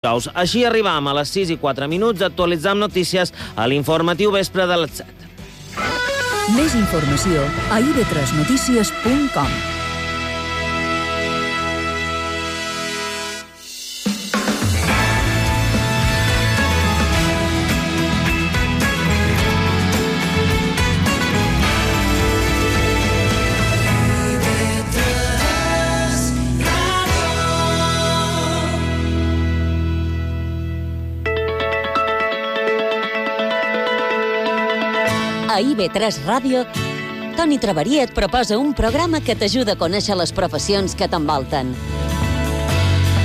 Així arribam a les 6:04, actualitzam notícies a l'informatiu vespre de les 7. Més informació a ib3notícies.com. A IB3 Ràdio, Toni Traveria et proposa un programa que t'ajuda a conèixer les professions que t'envolten.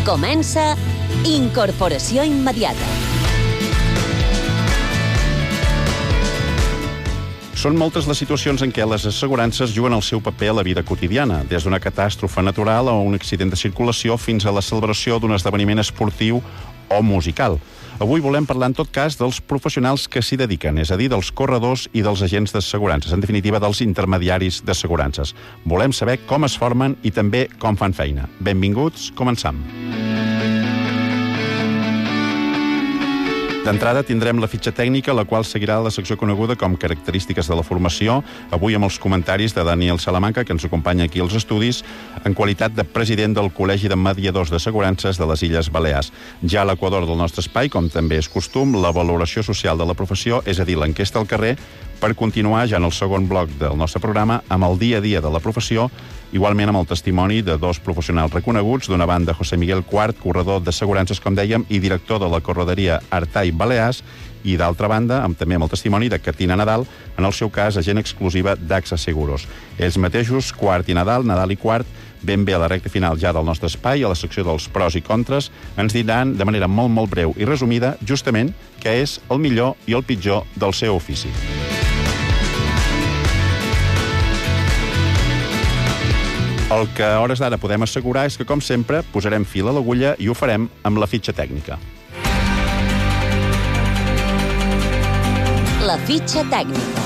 Comença Incorporació Immediata. Són moltes les situacions en què les assegurances juguen el seu paper a la vida quotidiana, des d'una catàstrofe natural o un accident de circulació fins a la celebració d'un esdeveniment esportiu o musical. Avui volem parlar, en tot cas, dels professionals que s'hi dediquen, és a dir, dels corredors i dels agents d'assegurances, en definitiva, dels intermediaris d'assegurances. Volem saber com es formen i també com fan feina. Benvinguts, començam. D'entrada tindrem la fitxa tècnica, la qual seguirà la secció coneguda com Característiques de la formació, avui amb els comentaris de Daniel Salamanca, que ens acompanya aquí als estudis, en qualitat de president del Col·legi de Mediadors d'Assegurances de les Illes Balears. Ja a l'equador del nostre espai, com també és costum, la valoració social de la professió, és a dir, l'enquesta al carrer, per continuar ja en el segon bloc del nostre programa amb el dia a dia de la professió, igualment amb el testimoni de dos professionals reconeguts, d'una banda José Miguel Quart, corredor d'assegurances, com dèiem, i director de la correderia Artai Balears, i d'altra banda, també amb el testimoni de Catina Nadal, en el seu cas, agent exclusiva d'AXA Seguros. Ells mateixos, Quart i Nadal i Quart, ben bé a la recta final ja del nostre espai, a la secció dels pros i contres, ens diran de manera molt breu i resumida, justament, què és el millor i el pitjor del seu ofici. El que a hores d'ara podem assegurar és que, com sempre, posarem fil a l'agulla i ho farem amb la fitxa tècnica. La fitxa tècnica.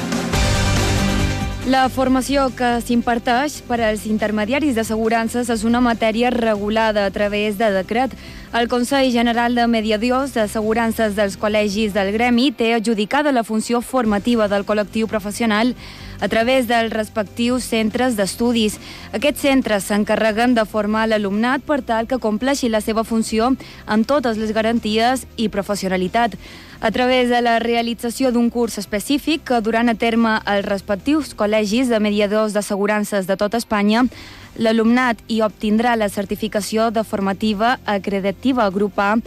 La formació que s'imparteix per als intermediaris d'assegurances és una matèria regulada a través de decret. El Consell General de Mediadors d'Assegurances dels Col·legis del Gremi té adjudicada la funció formativa del col·lectiu professional a través dels respectius centres d'estudis. Aquests centres s'encarreguen de formar l'alumnat per tal que compleixi la seva funció amb totes les garanties i professionalitat. A través de la realització d'un curs específic que duran a terme els respectius col·legis de mediadors d'assegurances de tota Espanya, l'alumnat hi obtindrà la certificació de formativa acreditativa grup A.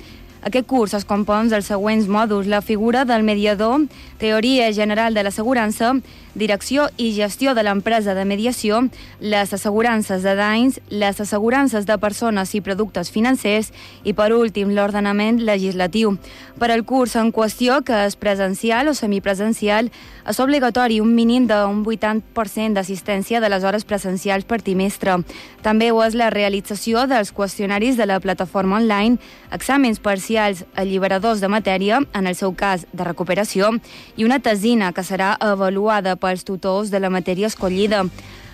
Aquest curs es compon dels següents mòduls: la figura del mediador, teoria general de l'assegurança, direcció i gestió de l'empresa de mediació, les assegurances de danys, les assegurances de persones i productes financers i, per últim, l'ordenament legislatiu. Per al curs en qüestió, que és presencial o semipresencial, és obligatori un mínim d'un 80% d'assistència de les hores presencials per trimestre. També ho és la realització dels qüestionaris de la plataforma online, exàmens parcials alliberadors de matèria, en el seu cas de recuperació, i una tesina que serà avaluada pels tutors de la matèria escollida.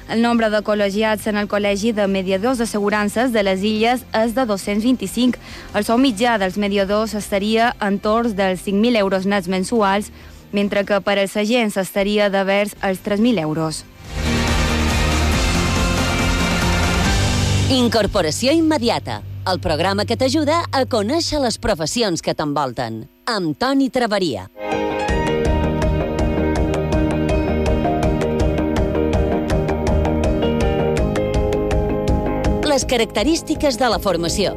El nombre de col·legiats en el Col·legi de Mediadors d'Assegurances de les Illes és de 225. El sou mitjà dels mediadors estaria entorn dels 5.000 euros nets mensuals, mentre que per als agents estaria de vers els 3.000 euros. Incorporació Immediata, el programa que t'ajuda a conèixer les professions que t'envolten, amb Toni Traveria. Les característiques de la formació.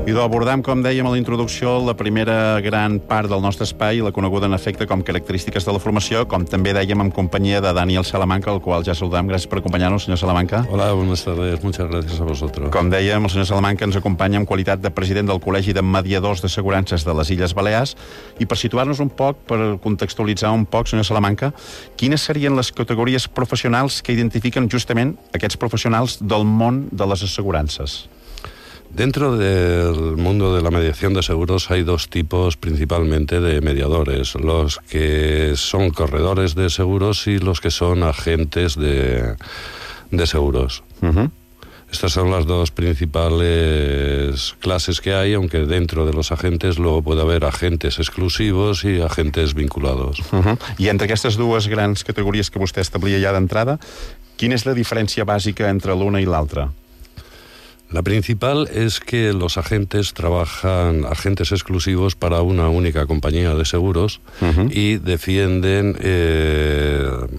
I d'abordar, com dèiem a la introducció, la primera gran part del nostre espai, la coneguda en efecte com Característiques de la formació, com també dèiem en companyia de Daniel Salamanca, el qual ja saludam. Gràcies per acompanyar-nos, senyor Salamanca. Hola, buenas tardes. Muchas gracias a vosotros. Com dèiem, el senyor Salamanca ens acompanya en qualitat de president del Col·legi de Mediadors d'Assegurances de les Illes Balears. I per situar-nos un poc, per contextualitzar un poc, senyor Salamanca, quines serien les categories professionals que identifiquen justament aquests professionals del món de les assegurances? Dentro del mundo de la mediación de seguros hay dos tipos principalmente de mediadores, los que son corredores de seguros y los que son agentes de seguros. Uh-huh. Estas son las dos principales clases que hay, aunque dentro de los agentes luego puede haver agentes exclusivos i agentes vinculados. I entre aquestes dues grans categories que vostè establia ja d'entrada, quina és la diferència bàsica entre l'una i l'altra? La principal es que los agentes trabajan, agentes exclusivos para una única compañía de seguros y defienden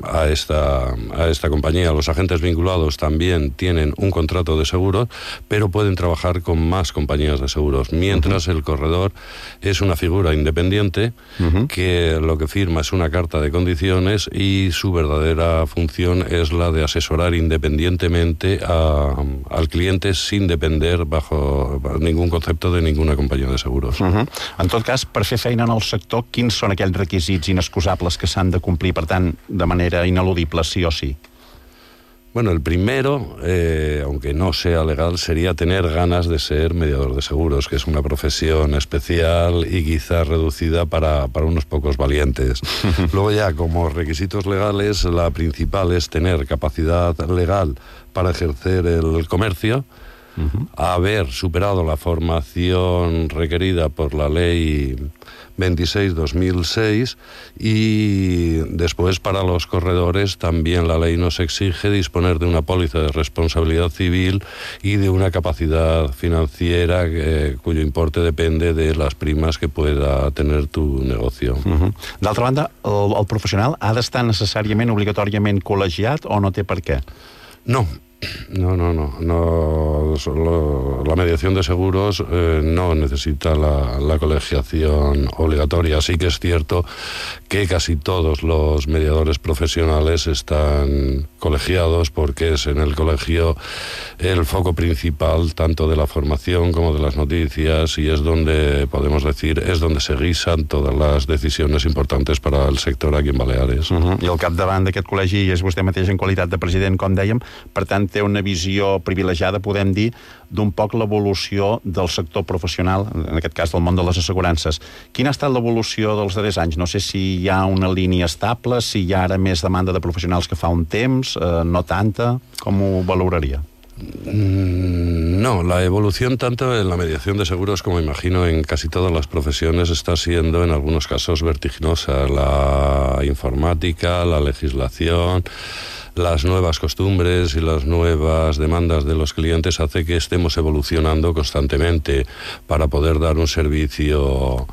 a esta compañía. Los agentes vinculados también tienen un contrato de seguros, pero pueden trabajar con más compañías de seguros, mientras el corredor es una figura independiente que lo que firma es una carta de condiciones y su verdadera función es la de asesorar independientemente al cliente sin depender bajo ningún concepte de ninguna companyia de seguros. En tot cas, per fer feina en el sector, quins són aquells requisits inexcusables que s'han de complir, per tant, de manera ineludible, sí o sí? Bueno, el primero, aunque no sea legal, sería tener ganas de ser mediador de seguros, que es una profesión especial y quizás reducida para unos pocos valientes. Luego ya, como requisitos legales, la principal es tener capacidad legal para ejercer el comercio, haber superado la formación requerida por la Ley 26/2006 y después para los corredores también la ley nos exige disponer de una póliza de responsabilidad civil y de una capacidad financiera cuyo importe depende de las primas que pueda tener tu negocio. D'altra banda, el professional ha d'estar necessàriament, obligatòriament col·legiat o no té per què? No. La mediación de seguros no necesita la colegiación obligatoria. Sí que es cierto que casi todos los mediadores profesionales están colegiados porque es en el colegio el foco principal tanto de la formación como de las noticias y es donde, podemos decir, es donde se guisan todas las decisiones importantes para el sector aquí en Baleares. I al capdavant d'aquest col·legi és vostè mateix en qualitat de president, com dèiem, per tant té una visió privilegiada, podem dir, d'un poc l'evolució del sector professional, en aquest cas del món de les assegurances. Quina ha estat l'evolució dels darrers anys? No sé si hi ha una línia estable, si hi ha ara més demanda de professionals que fa un temps, no tanta, com ho valoraria? No, la evolución tanto en la mediación de seguros como imagino en casi todas las profesiones está siendo en algunos casos vertiginosa. La informática, la legislación, las nuevas costumbres y las nuevas demandas de los clientes hace que estemos evolucionando constantemente para poder dar un servicio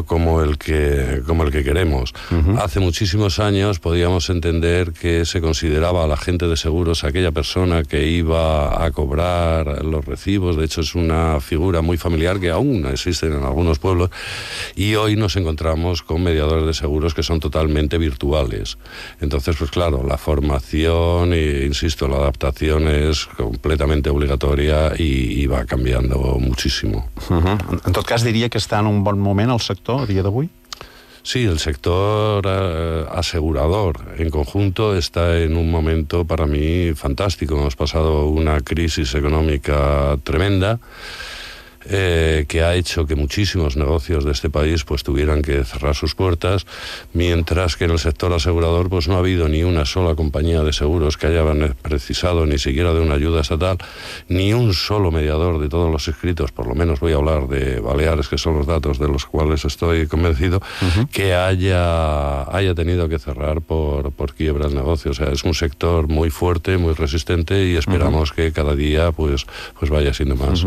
como el que queremos. Hace muchísimos años podíamos entender que se consideraba al agente de seguros aquella persona que iba a cobrar los recibos. De hecho, es una figura muy familiar que aún existe en algunos pueblos y hoy nos encontramos con mediadores de seguros que son totalmente virtuales. Entonces, pues claro, la formación e, insisto, la adaptación es completamente obligatoria y va cambiando muchísimo. En tot cas, diria que està en un bon moment el sector a dia d'avui? Sí, el sector asegurador en conjunto está en un momento para mí fantástico. Hemos pasado una crisis económica tremenda que ha hecho que muchísimos negocios de este país pues tuvieran que cerrar sus puertas, mientras que en el sector asegurador pues no ha habido ni una sola compañía de seguros que haya precisado ni siquiera de una ayuda estatal, ni un solo mediador de todos los inscritos, por lo menos voy a hablar de Baleares, que son los datos de los cuales estoy convencido, que haya tenido que cerrar por quiebra el negocio. O sea, es un sector muy fuerte, muy resistente y esperamos que cada día pues vaya siendo más.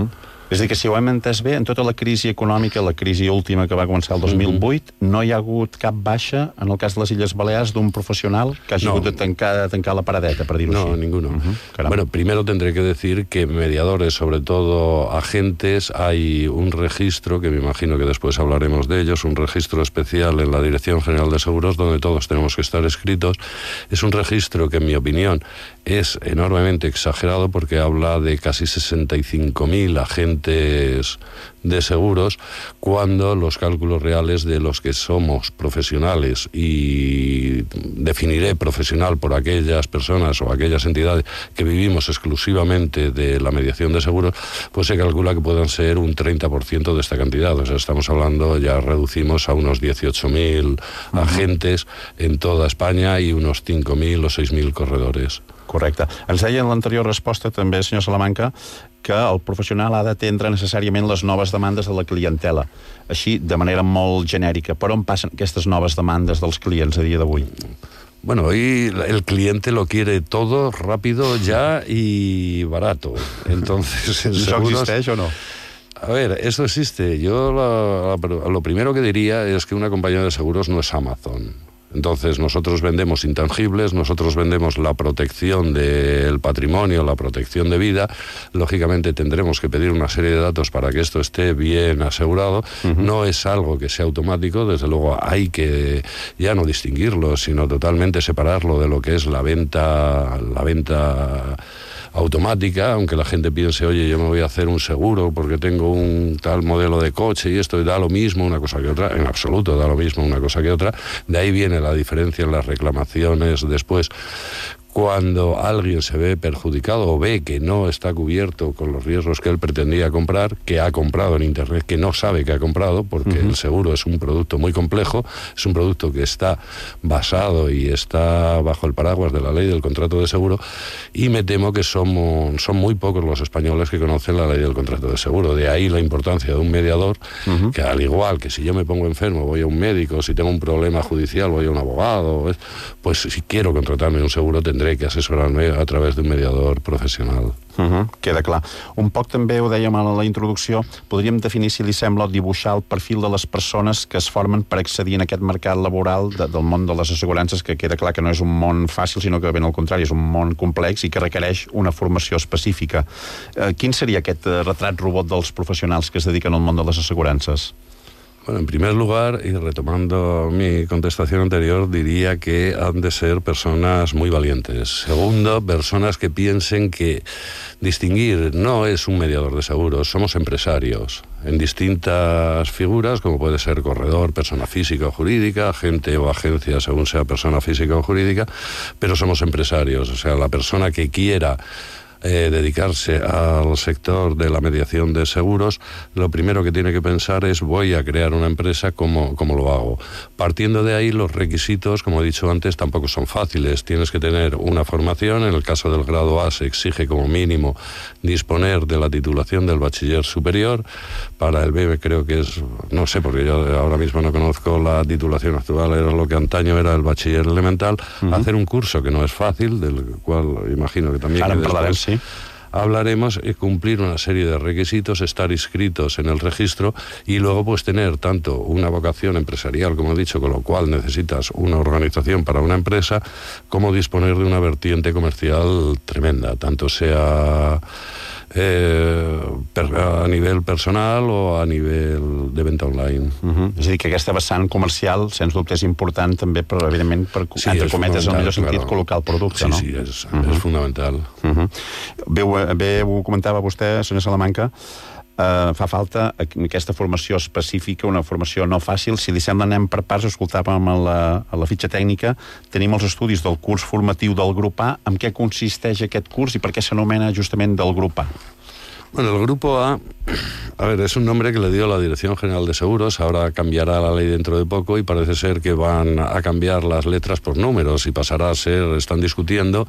És a dir, que si ho hem entès bé, en tota la crisi econòmica, la crisi última que va començar el 2008, no hi ha hagut cap baixa, en el cas de les Illes Balears, d'un professional que hagi hagut de tancar la paradeta, per dir-ho així. No, ninguno. Bueno, primero tendré que decir que mediadores, sobre todo agentes, hay un registro, que me imagino que después hablaremos de ellos, un registro especial en la Dirección General de Seguros, donde todos tenemos que estar escritos. Es un registro que, en mi opinión, es enormemente exagerado porque habla de casi 65.000 agentes de seguros, cuando los cálculos reales de los que somos profesionales, y definiré profesional por aquellas personas o aquellas entidades que vivimos exclusivamente de la mediación de seguros, pues se calcula que puedan ser un 30% de esta cantidad. O sea, estamos hablando, ya reducimos a unos 18.000 agentes en toda España y unos 5.000 o 6.000 corredores. Correcte. Ens deia en l'anterior resposta també, senyor Salamanca, que el professional ha d'atendre necessàriament les noves demandes de la clientela. Així, de manera molt genèrica. Per on passen aquestes noves demandes dels clients a dia d'avui? Bueno, hoy el cliente lo quiere todo, rápido, ya y barato. Entonces, en ¿Eso seguros... existe o no? A ver, eso existe. Yo lo primero que diría es que una compañía de seguros no es Amazon. Entonces, nosotros vendemos intangibles, nosotros vendemos la protección del patrimonio, la protección de vida. Lógicamente, tendremos que pedir una serie de datos para que esto esté bien asegurado. No es algo que sea automático, desde luego hay que ya no distinguirlo, sino totalmente separarlo de lo que es la venta automática, aunque la gente piense, oye, yo me voy a hacer un seguro porque tengo un tal modelo de coche y esto da lo mismo una cosa que otra. En absoluto da lo mismo una cosa que otra. De ahí viene la diferencia en las reclamaciones después. Cuando alguien se ve perjudicado o ve que no está cubierto con los riesgos que él pretendía comprar, que ha comprado en Internet, que no sabe que ha comprado, porque el seguro es un producto muy complejo, es un producto que está basado y está bajo el paraguas de la ley del contrato de seguro, y me temo que son muy pocos los españoles que conocen la ley del contrato de seguro. De ahí la importancia de un mediador, que al igual que si yo me pongo enfermo voy a un médico, si tengo un problema judicial voy a un abogado, pues si quiero contratarme un seguro tendré que asesorarme a través d'un mediador professional. Queda clar. Un poc també ho dèiem a la introducció, podríem definir, si li sembla, dibuixar el perfil de les persones que es formen per accedir en aquest mercat laboral del món de les assegurances, que queda clar que no és un món fàcil, sinó que ben al contrari, és un món complex i que requereix una formació específica. Quin seria aquest retrat robot dels professionals que es dediquen al món de les assegurances? Bueno, en primer lugar, y retomando mi contestación anterior, diría que han de ser personas muy valientes. Segundo, personas que piensen que distinguir no es un mediador de seguros, somos empresarios en distintas figuras, como puede ser corredor, persona física o jurídica, agente o agencia, según sea persona física o jurídica, pero somos empresarios. O sea, la persona que quiera dedicarse al sector de la mediación de seguros, lo primero que tiene que pensar es: voy a crear una empresa, ¿cómo lo hago? Partiendo de ahí, los requisitos, como he dicho antes, tampoco son fáciles. Tienes que tener una formación. En el caso del grado A se exige como mínimo disponer de la titulación del bachiller superior. Para el B creo que es, no sé, porque yo ahora mismo no conozco la titulación actual, era lo que antaño era el bachiller elemental. Hacer un curso que no es fácil, del cual imagino que también hablaremos, y cumplir una serie de requisitos, estar inscritos en el registro y luego pues tener tanto una vocación empresarial, como he dicho, con lo cual necesitas una organización para una empresa, como disponer de una vertiente comercial tremenda, tanto sea a nivell personal o a nivell de venda online. És a dir, que aquesta vessant comercial, sens dubte, és important també, però evidentment, per, entre cometes, en el millor sentit, col·locar el producte, no? Sí, és fundamental. Bé, ho comentava vostè, senyor Salamanca, fa falta aquesta formació específica, una formació no fàcil. Si li sembla, anem per parts. Escoltàvem a la fitxa tècnica, tenim els estudis del curs formatiu del grup A. En què consisteix aquest curs i per què s'anomena justament del grup A? Bueno, el grupo A, es un nombre que le dio la Dirección General de Seguros. Ahora cambiará la ley dentro de poco y parece ser que van a cambiar las letras por números y pasará a ser, están discutiendo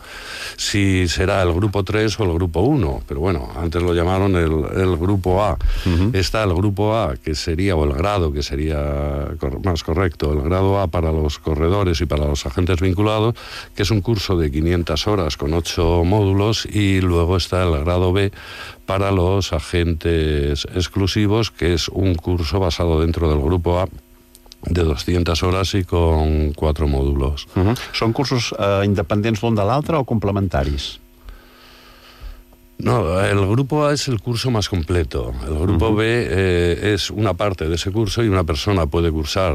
si será el grupo 3 o el grupo 1, pero bueno, antes lo llamaron el grupo A. Está el grupo A, que sería, o el grado, que sería más correcto, el grado A para los corredores y para los agentes vinculados, que es un curso de 500 horas con 8 módulos, y luego está el grado B para los agentes exclusivos, que es un curso basado dentro del grupo A de 200 horas y con 4 módulos. Són cursos independents l'un de l'altre o complementaris? No, el grupo A es el curso más completo. El grupo B es una parte de ese curso, y una persona puede cursar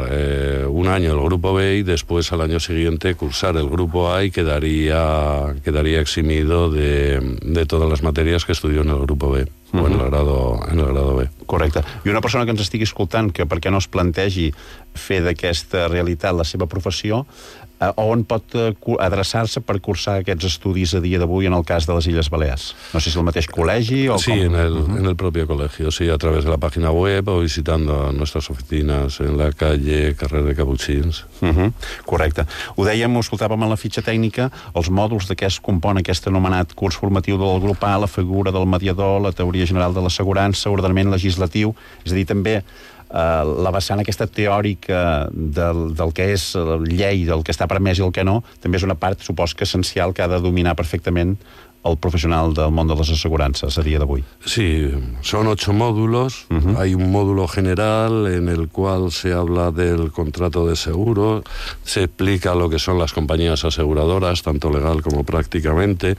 un año el grupo B y después al año siguiente cursar el grupo A, y quedaría eximido de todas las materias que estudió en el grupo B. o en el grado B. Correcte. I una persona que ens estigui escoltant, que per què no es plantegi fer d'aquesta realitat la seva professió, on pot adreçar-se per cursar aquests estudis a dia d'avui en el cas de les Illes Balears? No sé si el mateix col·legi o sí, com... en el propio colegio, sí, a través de la página web o visitando nuestras oficinas en la calle Carrer de Caputxins. Correcte. Ho dèiem, ho escoltàvem a la fitxa tècnica, els mòduls de què es compon aquest anomenat curs formatiu del grup A, la figura del mediador, la teoria general de l'assegurança, ordenament legislatiu, és a dir, també la vessant aquesta teòrica del que és llei, del que està permès i el que no, també és una part, supos que essencial, que ha de dominar perfectament el profesional del món de les assegurances a dia d'avui. Sí, son 8 módulos. Hay un módulo general en el cual se habla del contrato de seguro, se explica lo que son las compañías aseguradoras, tanto legal como prácticamente.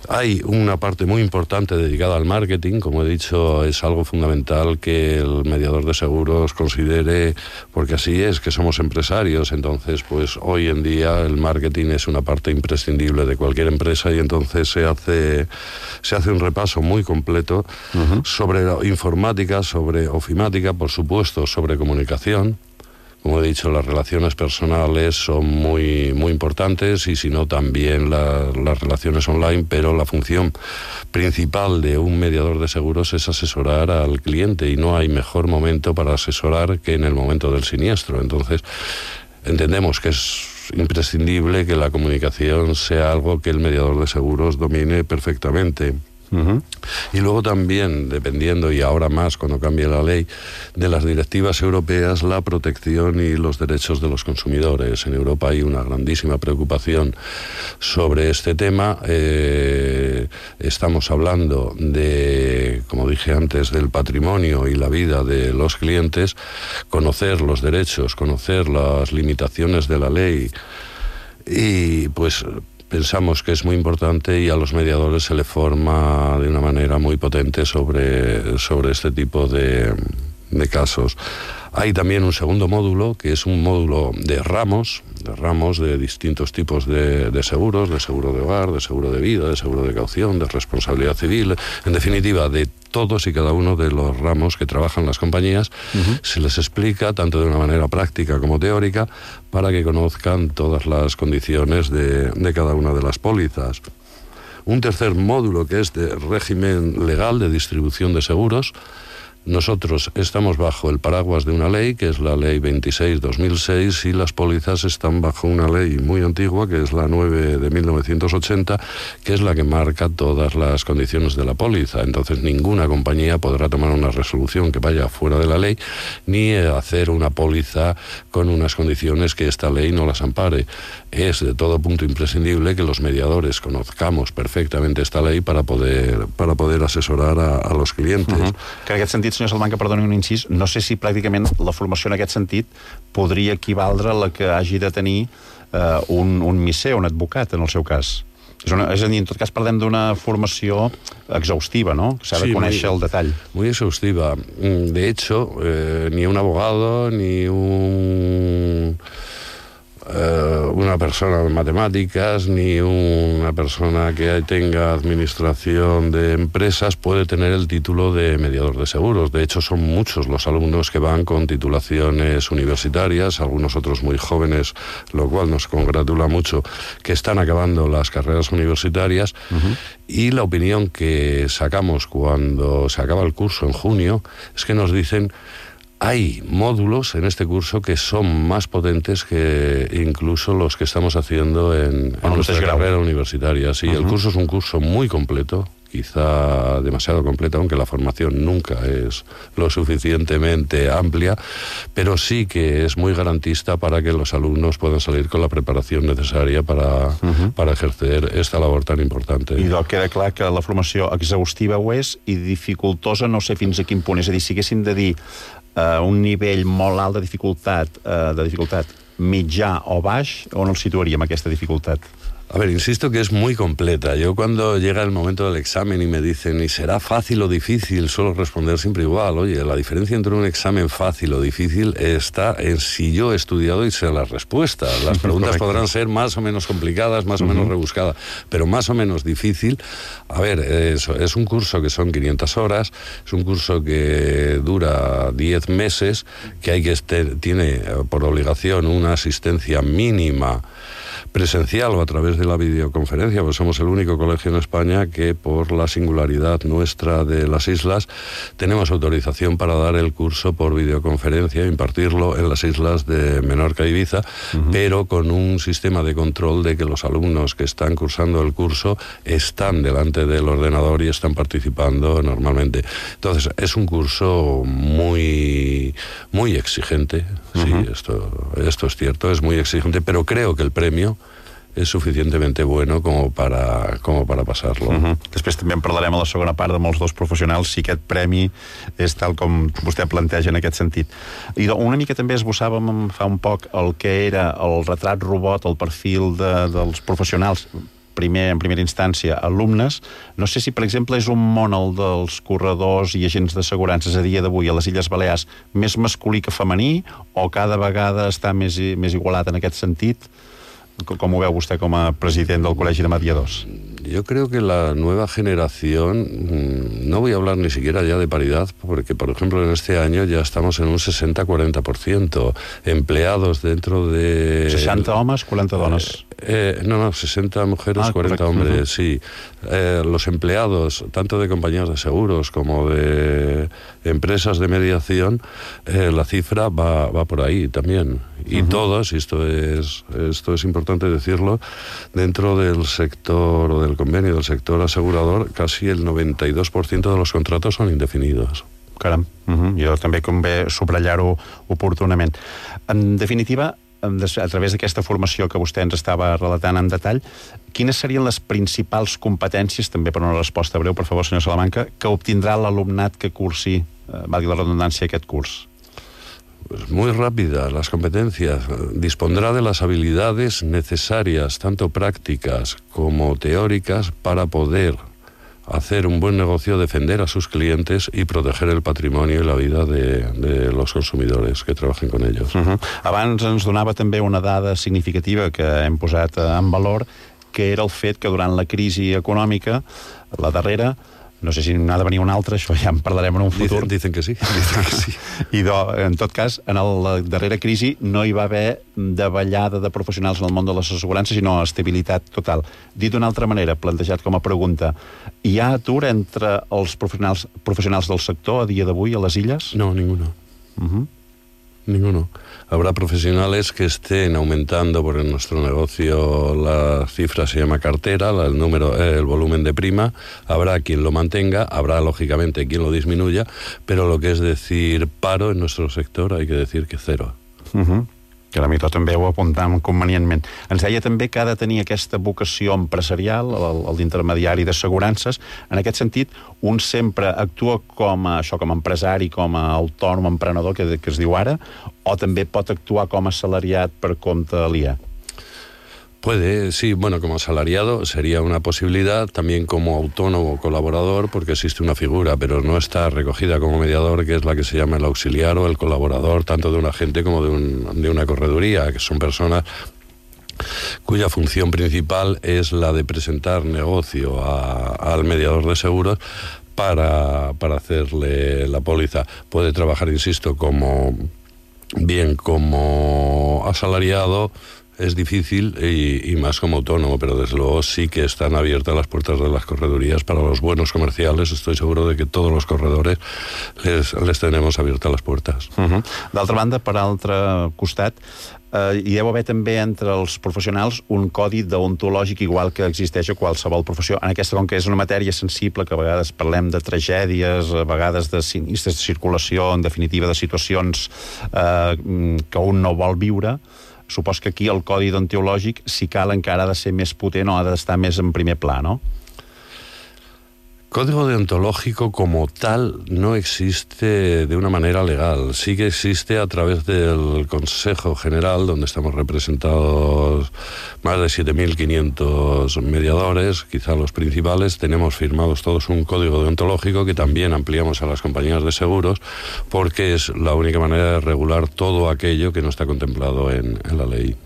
Hay una parte muy importante dedicada al marketing, como he dicho, es algo fundamental que el mediador de seguros considere, porque así es, que somos empresarios, entonces pues hoy en día el marketing es una parte imprescindible de cualquier empresa y entonces se hace un repaso muy completo sobre informática, sobre ofimática, por supuesto, sobre comunicación. Como he dicho, las relaciones personales son muy, muy importantes y si no también las relaciones online, pero la función principal de un mediador de seguros es asesorar al cliente y no hay mejor momento para asesorar que en el momento del siniestro. Entonces, entendemos que es imprescindible que la comunicación sea algo que el mediador de seguros domine perfectamente. Y luego también, dependiendo, y ahora más cuando cambie la ley, de las directivas europeas, la protección y los derechos de los consumidores. En Europa hay una grandísima preocupación sobre este tema. Estamos hablando de, como dije antes, del patrimonio y la vida de los clientes, conocer los derechos, conocer las limitaciones de la ley y pues pensamos que es muy importante y a los mediadores se les forma de una manera muy potente sobre este tipo de casos. Hay también un segundo módulo, que es un módulo de ramos de distintos tipos de seguros, de seguro de hogar, de seguro de vida, de seguro de caución, de responsabilidad civil, en definitiva, de todos y cada uno de los ramos que trabajan las compañías. Se les explica, tanto de una manera práctica como teórica, para que conozcan todas las condiciones de cada una de las pólizas. Un tercer módulo, que es de régimen legal de distribución de seguros. Nosotros estamos bajo el paraguas de una ley, que es la Ley 26/2006, y las pólizas están bajo una ley muy antigua, que es la 9 de 1980, que es la que marca todas las condiciones de la póliza. Entonces ninguna compañía podrá tomar una resolución que vaya fuera de la ley, ni hacer una póliza con unas condiciones que esta ley no las ampare. Es de todo punto imprescindible que los mediadores conozcamos perfectamente esta ley para poder asesorar a los clientes. Que en aquest sentit, senyor Salamanca, perdoni un incís, no sé si pràcticament la formació en aquest sentit podria equivaldre a la que hagi de tenir un misser, un advocat, en el seu cas. És a dir, en tot cas parlem d'una formació exhaustiva, ¿no? S'ha de conèixer el detall. Muy exhaustiva. De hecho, ni un abogado, ni una persona de matemáticas, ni una persona que tenga administración de empresas puede tener el título de mediador de seguros. De hecho, son muchos los alumnos que van con titulaciones universitarias, algunos otros muy jóvenes, lo cual nos congratula mucho, que están acabando las carreras universitarias. Y la opinión que sacamos cuando se acaba el curso en junio es que nos dicen: hay módulos en este curso que son más potentes que incluso los que estamos haciendo en nuestra carrera universitaria. Sí, el curso es un curso muy completo, quizá demasiado completo, aunque la formación nunca es lo suficientemente amplia, pero sí que es muy garantista para que los alumnos puedan salir con la preparación necesaria para ejercer esta labor tan importante. I queda clar que la formació exhaustiva ho és i dificultosa no sé fins a quin punt. És a dir, si haguéssim de dir un nivell molt alt de dificultat mitjà o baix, on el situaríem, aquesta dificultat? A ver, insisto que es muy completa. Yo cuando llega el momento del examen y me dicen, ¿y será fácil o difícil? Suelo responder siempre igual. Oye, la diferencia entre un examen fácil o difícil está en si yo he estudiado y sé las respuestas. Las preguntas podrán ser más o menos complicadas, más o menos rebuscadas, pero más o menos difícil. A ver, es un curso que son 500 horas, es un curso que dura 10 meses, que tiene por obligación una asistencia mínima presencial o a través de la videoconferencia, pues somos el único colegio en España que por la singularidad nuestra de las islas tenemos autorización para dar el curso por videoconferencia e impartirlo en las islas de Menorca y Ibiza, pero con un sistema de control de que los alumnos que están cursando el curso están delante del ordenador y están participando normalmente. Entonces, es un curso muy, muy exigente, sí, esto es cierto, es muy exigente, pero creo que el premio és suficientemente bueno com para passar-lo. Després també en parlarem a la segona part de molts dos professionals si aquest premi és tal com vostè planteja en aquest sentit. I una mica també esbossàvem fa un poc el que era el retrat robot, el perfil dels professionals, en primera instància, alumnes. No sé si, per exemple, és un món el dels corredors i agents d'assegurances a dia d'avui a les Illes Balears més masculí que femení, o cada vegada està més igualat en aquest sentit? ¿Cómo ve usted como presidente del Colegio de Mediadors? Yo creo que la nueva generación, no voy a hablar ni siquiera ya de paridad, porque, por ejemplo, en este año ya estamos en un 60-40%. Empleados dentro de... 60 homes, 40 dones. No, 60 mujeres, 40 hombres, sí. Los empleados, tanto de compañías de seguros como de empresas de mediación, la cifra va por ahí también. Y todos, y esto es importante decirlo, dentro del sector o del convenio del sector asegurador, casi el 92% de los contratos son indefinidos. Caram, jo també convé subratllar-ho oportunament. En definitiva, a través d'aquesta formació que vostè ens estava relatant en detall, quines serien les principals competències, també per una resposta breu, per favor, senyor Salamanca, que obtindrà l'alumnat que cursi, valgui la redundància, aquest curs? Pues muy rápida, las competencias. Dispondrá de las habilidades necesarias, tanto prácticas como teóricas, para poder hacer un buen negocio, defender a sus clientes y proteger el patrimonio y la vida de los consumidores que trabajen con ellos. Abans ens donava també una dada significativa que hem posat en valor, que era el fet que durant la crisi econòmica, la darrera, no sé si n'ha de venir una altra, això ja en parlarem en un futur. Dicen que sí. I en tot cas, en la darrera crisi no hi va haver davallada de professionals en el món de les assegurances, sinó estabilitat total. Dit d'una altra manera, plantejat com a pregunta, hi ha atur entre els professionals del sector a dia d'avui a les illes? No, ninguno. Ninguno. Habrá profesionales que estén aumentando, porque en nuestro negocio la cifra se llama cartera, el volumen de prima. Habrá quien lo mantenga, habrá lógicamente quien lo disminuya, pero lo que es decir paro en nuestro sector hay que decir que cero. Que a mi tot també ho apuntàvem convenientment. Ens deia també que ha de tenir aquesta vocació empresarial, el d'intermediari d'assegurances. En aquest sentit, un sempre actua com a empresari, com a autònom, emprenedor, que es diu ara, o també pot actuar com a assalariat per compte aliè? Puede, sí, bueno, como asalariado sería una posibilidad, también como autónomo colaborador, porque existe una figura, pero no está recogida como mediador, que es la que se llama el auxiliar o el colaborador, tanto de un agente como de una correduría, que son personas cuya función principal es la de presentar negocio al mediador de seguros para hacerle la póliza. Puede trabajar, insisto, como asalariado. Es difícil y más como autónomo, pero desde luego sí que están abiertas las puertas de las corredurías para los buenos comerciales. Estoy seguro de que todos los corredores les tenemos abiertas les puertes. D'altra banda, per altre costat, hi deu haver també entre els professionals un codi deontològic igual que existeix a qualsevol professió. En aquesta, com que és una matèria sensible, que a vegades parlem de tragèdies, a vegades de sinistres de circulació, en definitiva de situacions que un no vol viure, supos que aquí el codi deontològic, si cal, encara ha de ser més potent o ha d'estar més en primer pla, no? Código deontológico como tal no existe de una manera legal. Sí que existe a través del Consejo General, donde estamos representados más de 7.500 mediadores, quizá los principales. Tenemos firmados todos un código deontológico que también ampliamos a las compañías de seguros, porque es la única manera de regular todo aquello que no está contemplado en la ley.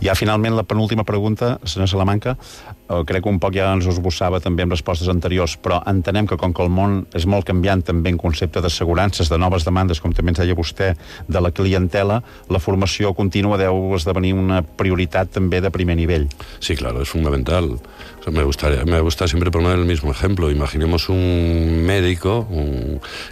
Ja finalment la penúltima pregunta, senyor Salamanca, crec que un poc ja ens ho esbossava també amb respostes anteriors, però entenem que com que el món és molt canviant també en concepte d'assegurances, de noves demandes, com també ens deia vostè, de la clientela, la formació contínua deu esdevenir una prioritat també de primer nivell. Sí, claro, es fundamental. O sea, me gusta siempre poner el mismo ejemplo. Imaginemos un médico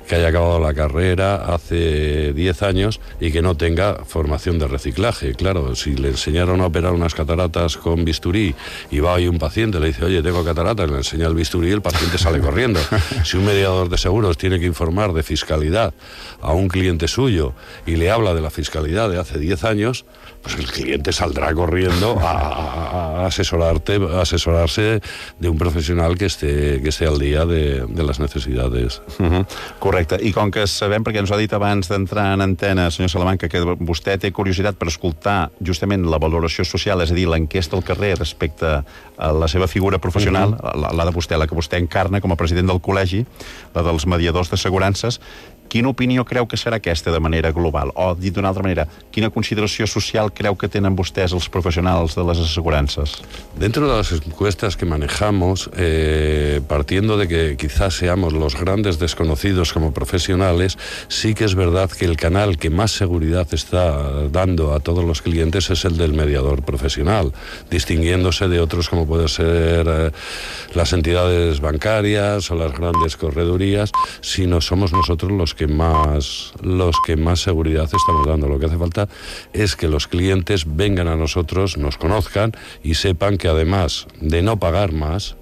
que haya acabado la carrera hace 10 años y que no tenga formación de reciclaje. Claro, si le enseñaron a operar unas cataratas con bisturí y va ahí un paciente, le dice, oye, tengo cataratas, le enseña el bisturí y el paciente sale corriendo. Si un mediador de seguros tiene que informar de fiscalidad a un cliente suyo y le habla de la fiscalidad de hace 10 años, pues el cliente saldrá corriendo a asesorarse de un professional que esté al dia de les necessitats. Correcte. I com que sabem, perquè ens ho ha dit abans d'entrar en antena, senyor Salamanca, que vostè té curiositat per escoltar justament la valoració social, és a dir, l'enquesta al carrer respecte a la seva figura professional, la de vostè, la que vostè encarna com a president del col·legi, la dels mediadors d'assegurances, quina opinió creu que serà aquesta de manera global? O, dit d'una altra manera, quina consideració social creu que tenen vostès els professionals de les assegurances? Dentro de las encuestas que manejamos, partiendo de que quizás seamos los grandes desconocidos como profesionales, sí que es verdad que el canal que más seguridad está dando a todos los clientes es el del mediador profesional, distinguiéndose de otros como pueden ser las entidades bancarias o las grandes corredurías, sino somos nosotros los que más seguridad estamos dando. Lo que hace falta es que los clientes vengan a nosotros, nos conozcan y sepan que además de no pagar más,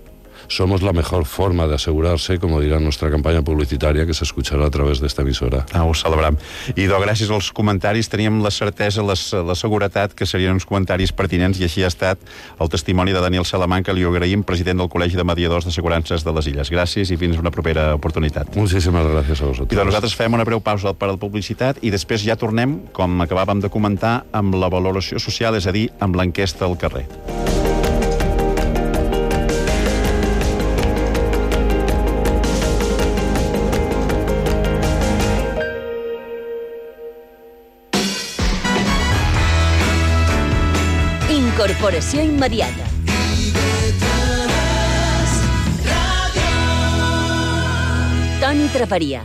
somos la mejor forma de asegurarse, como dirà nuestra campanya publicitària, que s'escucharà a través d'esta emissora. Ho celebram. I gràcies als comentaris teníem la certesa, la seguretat que serien uns comentaris pertinents, i així ha estat el testimoni de Daniel Salamanca. Li ho agraïm, president del Col·legi de Mediadors d'Assegurances de les Illes. Gràcies i fins una propera oportunitat. Moltíssimes gràcies a vosaltres. I nosaltres fem una breu pausa per a la publicitat i després ja tornem, com acabàvem de comentar, amb la valoració social, és a dir, amb l'enquesta al carrer. Incorporació immediata. Toni Traperia.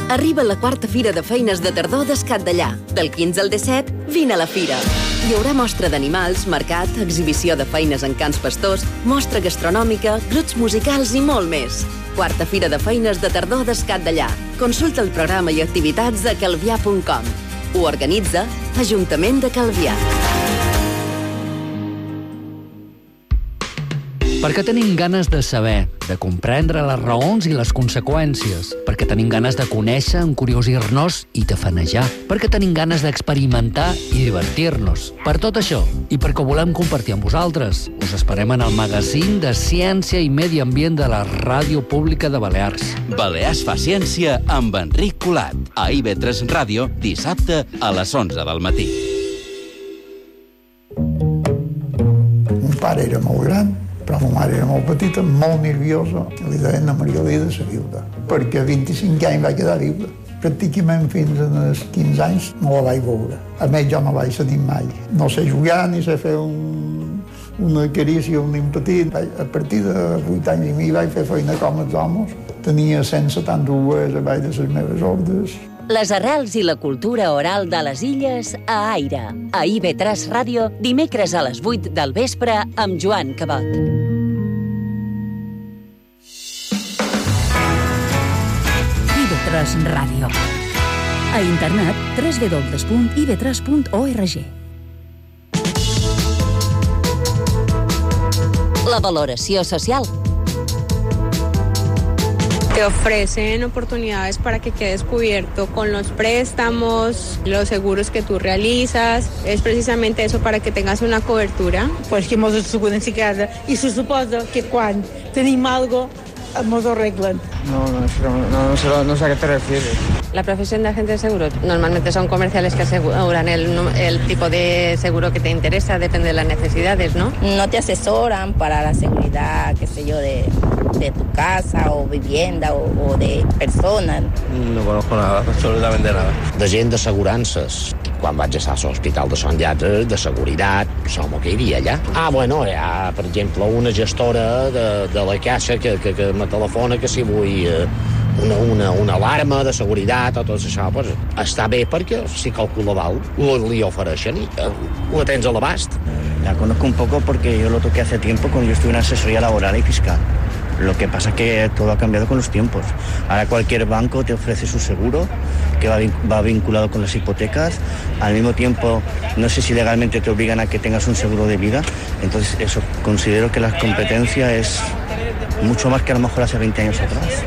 Arriba la quarta fira de feines de tardor d'Escat d'Allà. Del 15 al 17, vine a la fira. Hi haurà mostra d'animals, mercat, exhibició de feines en cans pastors, mostra gastronòmica, grups musicals i molt més. Quarta fira de feines de tardor d'Escat d'Allà. Consulta el programa i activitats a calvià.com. Ho organitza Ajuntament de Calvià. Perquè tenim ganes de saber, de comprendre les raons i les conseqüències. Perquè tenim ganes de conèixer, encuriosir-nos i tafanejar. Perquè tenim ganes d'experimentar i divertir-nos. Per tot això, i perquè ho volem compartir amb vosaltres, us esperem en el magazín de Ciència i Medi Ambient de la Ràdio Pública de Balears. Balears fa ciència amb Enric Colat. A IB3 Ràdio, dissabte a les 11 del matí. Mon pare era molt gran, però ma mare era molt petita, molt nerviosa. Li deien a Margalida la viuda, perquè a 25 anys va quedar viuda. Pràcticament fins als 15 anys no la vaig veure. A més, jo no vaig tenir mai. No sé jugar ni sé fer una carícia a un nen petit. A partir de 8 anys i mi vaig fer feina com els homes. Tenia 172 a baix de les meves ordres. Les arrels i la cultura oral de les Illes a Aire. A IB3 Ràdio, dimecres a les 8 del vespre amb Joan Cabot. IB3 Ràdio. A internet www.ib3.org. La valoració social. Te ofrecen oportunidades para que quedes cubierto con los préstamos, los seguros que tú realizas. Es precisamente eso, para que tengas una cobertura. Pues que mos asseguren si casa i se suposa que quan tenim algo mos ho arreglen. No sé a qué te refieres. La profesión de agente de seguros normalmente son comerciales que aseguran el tipo de seguro que te interesa, depende de las necesidades, ¿no? No te asesoran para la seguridad, qué sé yo, de tu casa o vivienda o de personas. No conozco nada, absolutamente nada. De gent d'assegurances. Quan vaig estar a l'Hospital de Sant Llàtzer, de seguretat, som que hi havia allà. Bueno, hi ha, per exemple, una gestora de la caixa que me telefona que si vull una alarma de seguretat o tot això, pues, està bé perquè si calcula dalt li ofereixen i la tens a l'abast. La conozco un poco porque yo lo toqué hace tiempo cuando yo estuve en asesoría laboral y fiscal. Lo que pasa es que todo ha cambiado con los tiempos. Ahora cualquier banco te ofrece su seguro, que va vinculado con las hipotecas. Al mismo tiempo, no sé si legalmente te obligan a que tengas un seguro de vida. Entonces, eso, considero que la competencia es mucho más que a lo mejor hace 20 años atrás.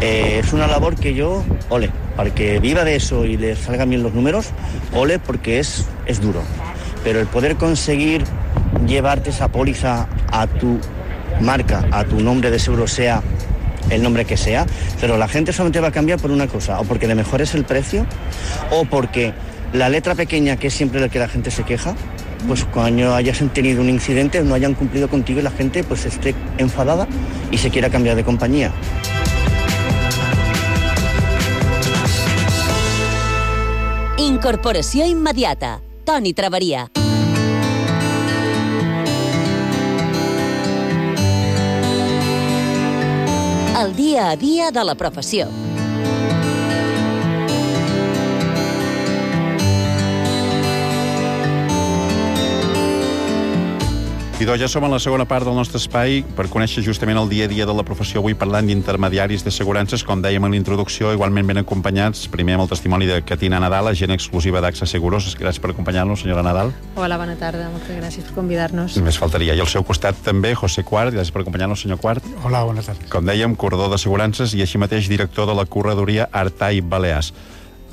Es una labor que yo, ole, para que viva de eso y le salgan bien los números, ole, porque es duro. Pero el poder conseguir llevarte esa póliza a tu marca, a tu nombre de seguro, sea el nombre que sea, pero la gente solamente va a cambiar por una cosa, o porque le mejores el precio, o porque la letra pequeña, que es siempre la que la gente se queja, pues cuando hayas tenido un incidente no hayan cumplido contigo y la gente pues esté enfadada y se quiera cambiar de compañía. Incorporació immediata. Toni Traveria. El dia a dia de la professió. Idò, ja som a la segona part del nostre espai per conèixer justament el dia a dia de la professió. Avui parlant d'intermediaris d'assegurances, com dèiem en l'introducció, igualment ben acompanyats, primer amb el testimoni de Catina Nadal, agent exclusiva d'AXA Seguros. Gràcies per acompanyar-nos, senyora Nadal. Hola, bona tarda, moltes gràcies per convidar-nos. Només faltaria. I al seu costat també, José Quart, gràcies per acompanyar-nos, senyor Quart. Hola, bona tarda. Com dèiem, corredor d'assegurances i així mateix director de la corredoria Artai Balears.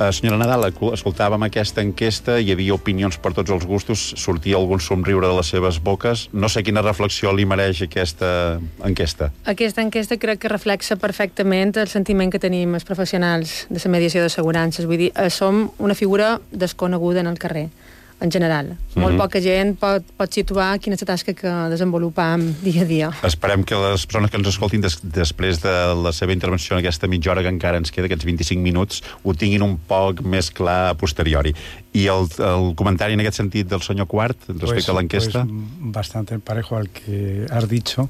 Senyora Nadal, escoltàvem aquesta enquesta, hi havia opinions per tots els gustos, sortia algun somriure de les seves boques. No sé quina reflexió li mereix aquesta enquesta. Aquesta enquesta crec que reflexa perfectament el sentiment que tenim els professionals de la mediació d'assegurances. Vull dir, som una figura desconeguda en el carrer, en general. Molt poca gent pot situar quina és la tasca que desenvolupam dia a dia. Esperem que les persones que ens escoltin després de la seva intervenció en aquesta mitja hora que encara ens queda, aquests 25 minuts, ho tinguin un poc més clar a posteriori. I el comentari en aquest sentit del senyor Quart respecte a l'enquesta? Pues bastante parejo al que has dicho.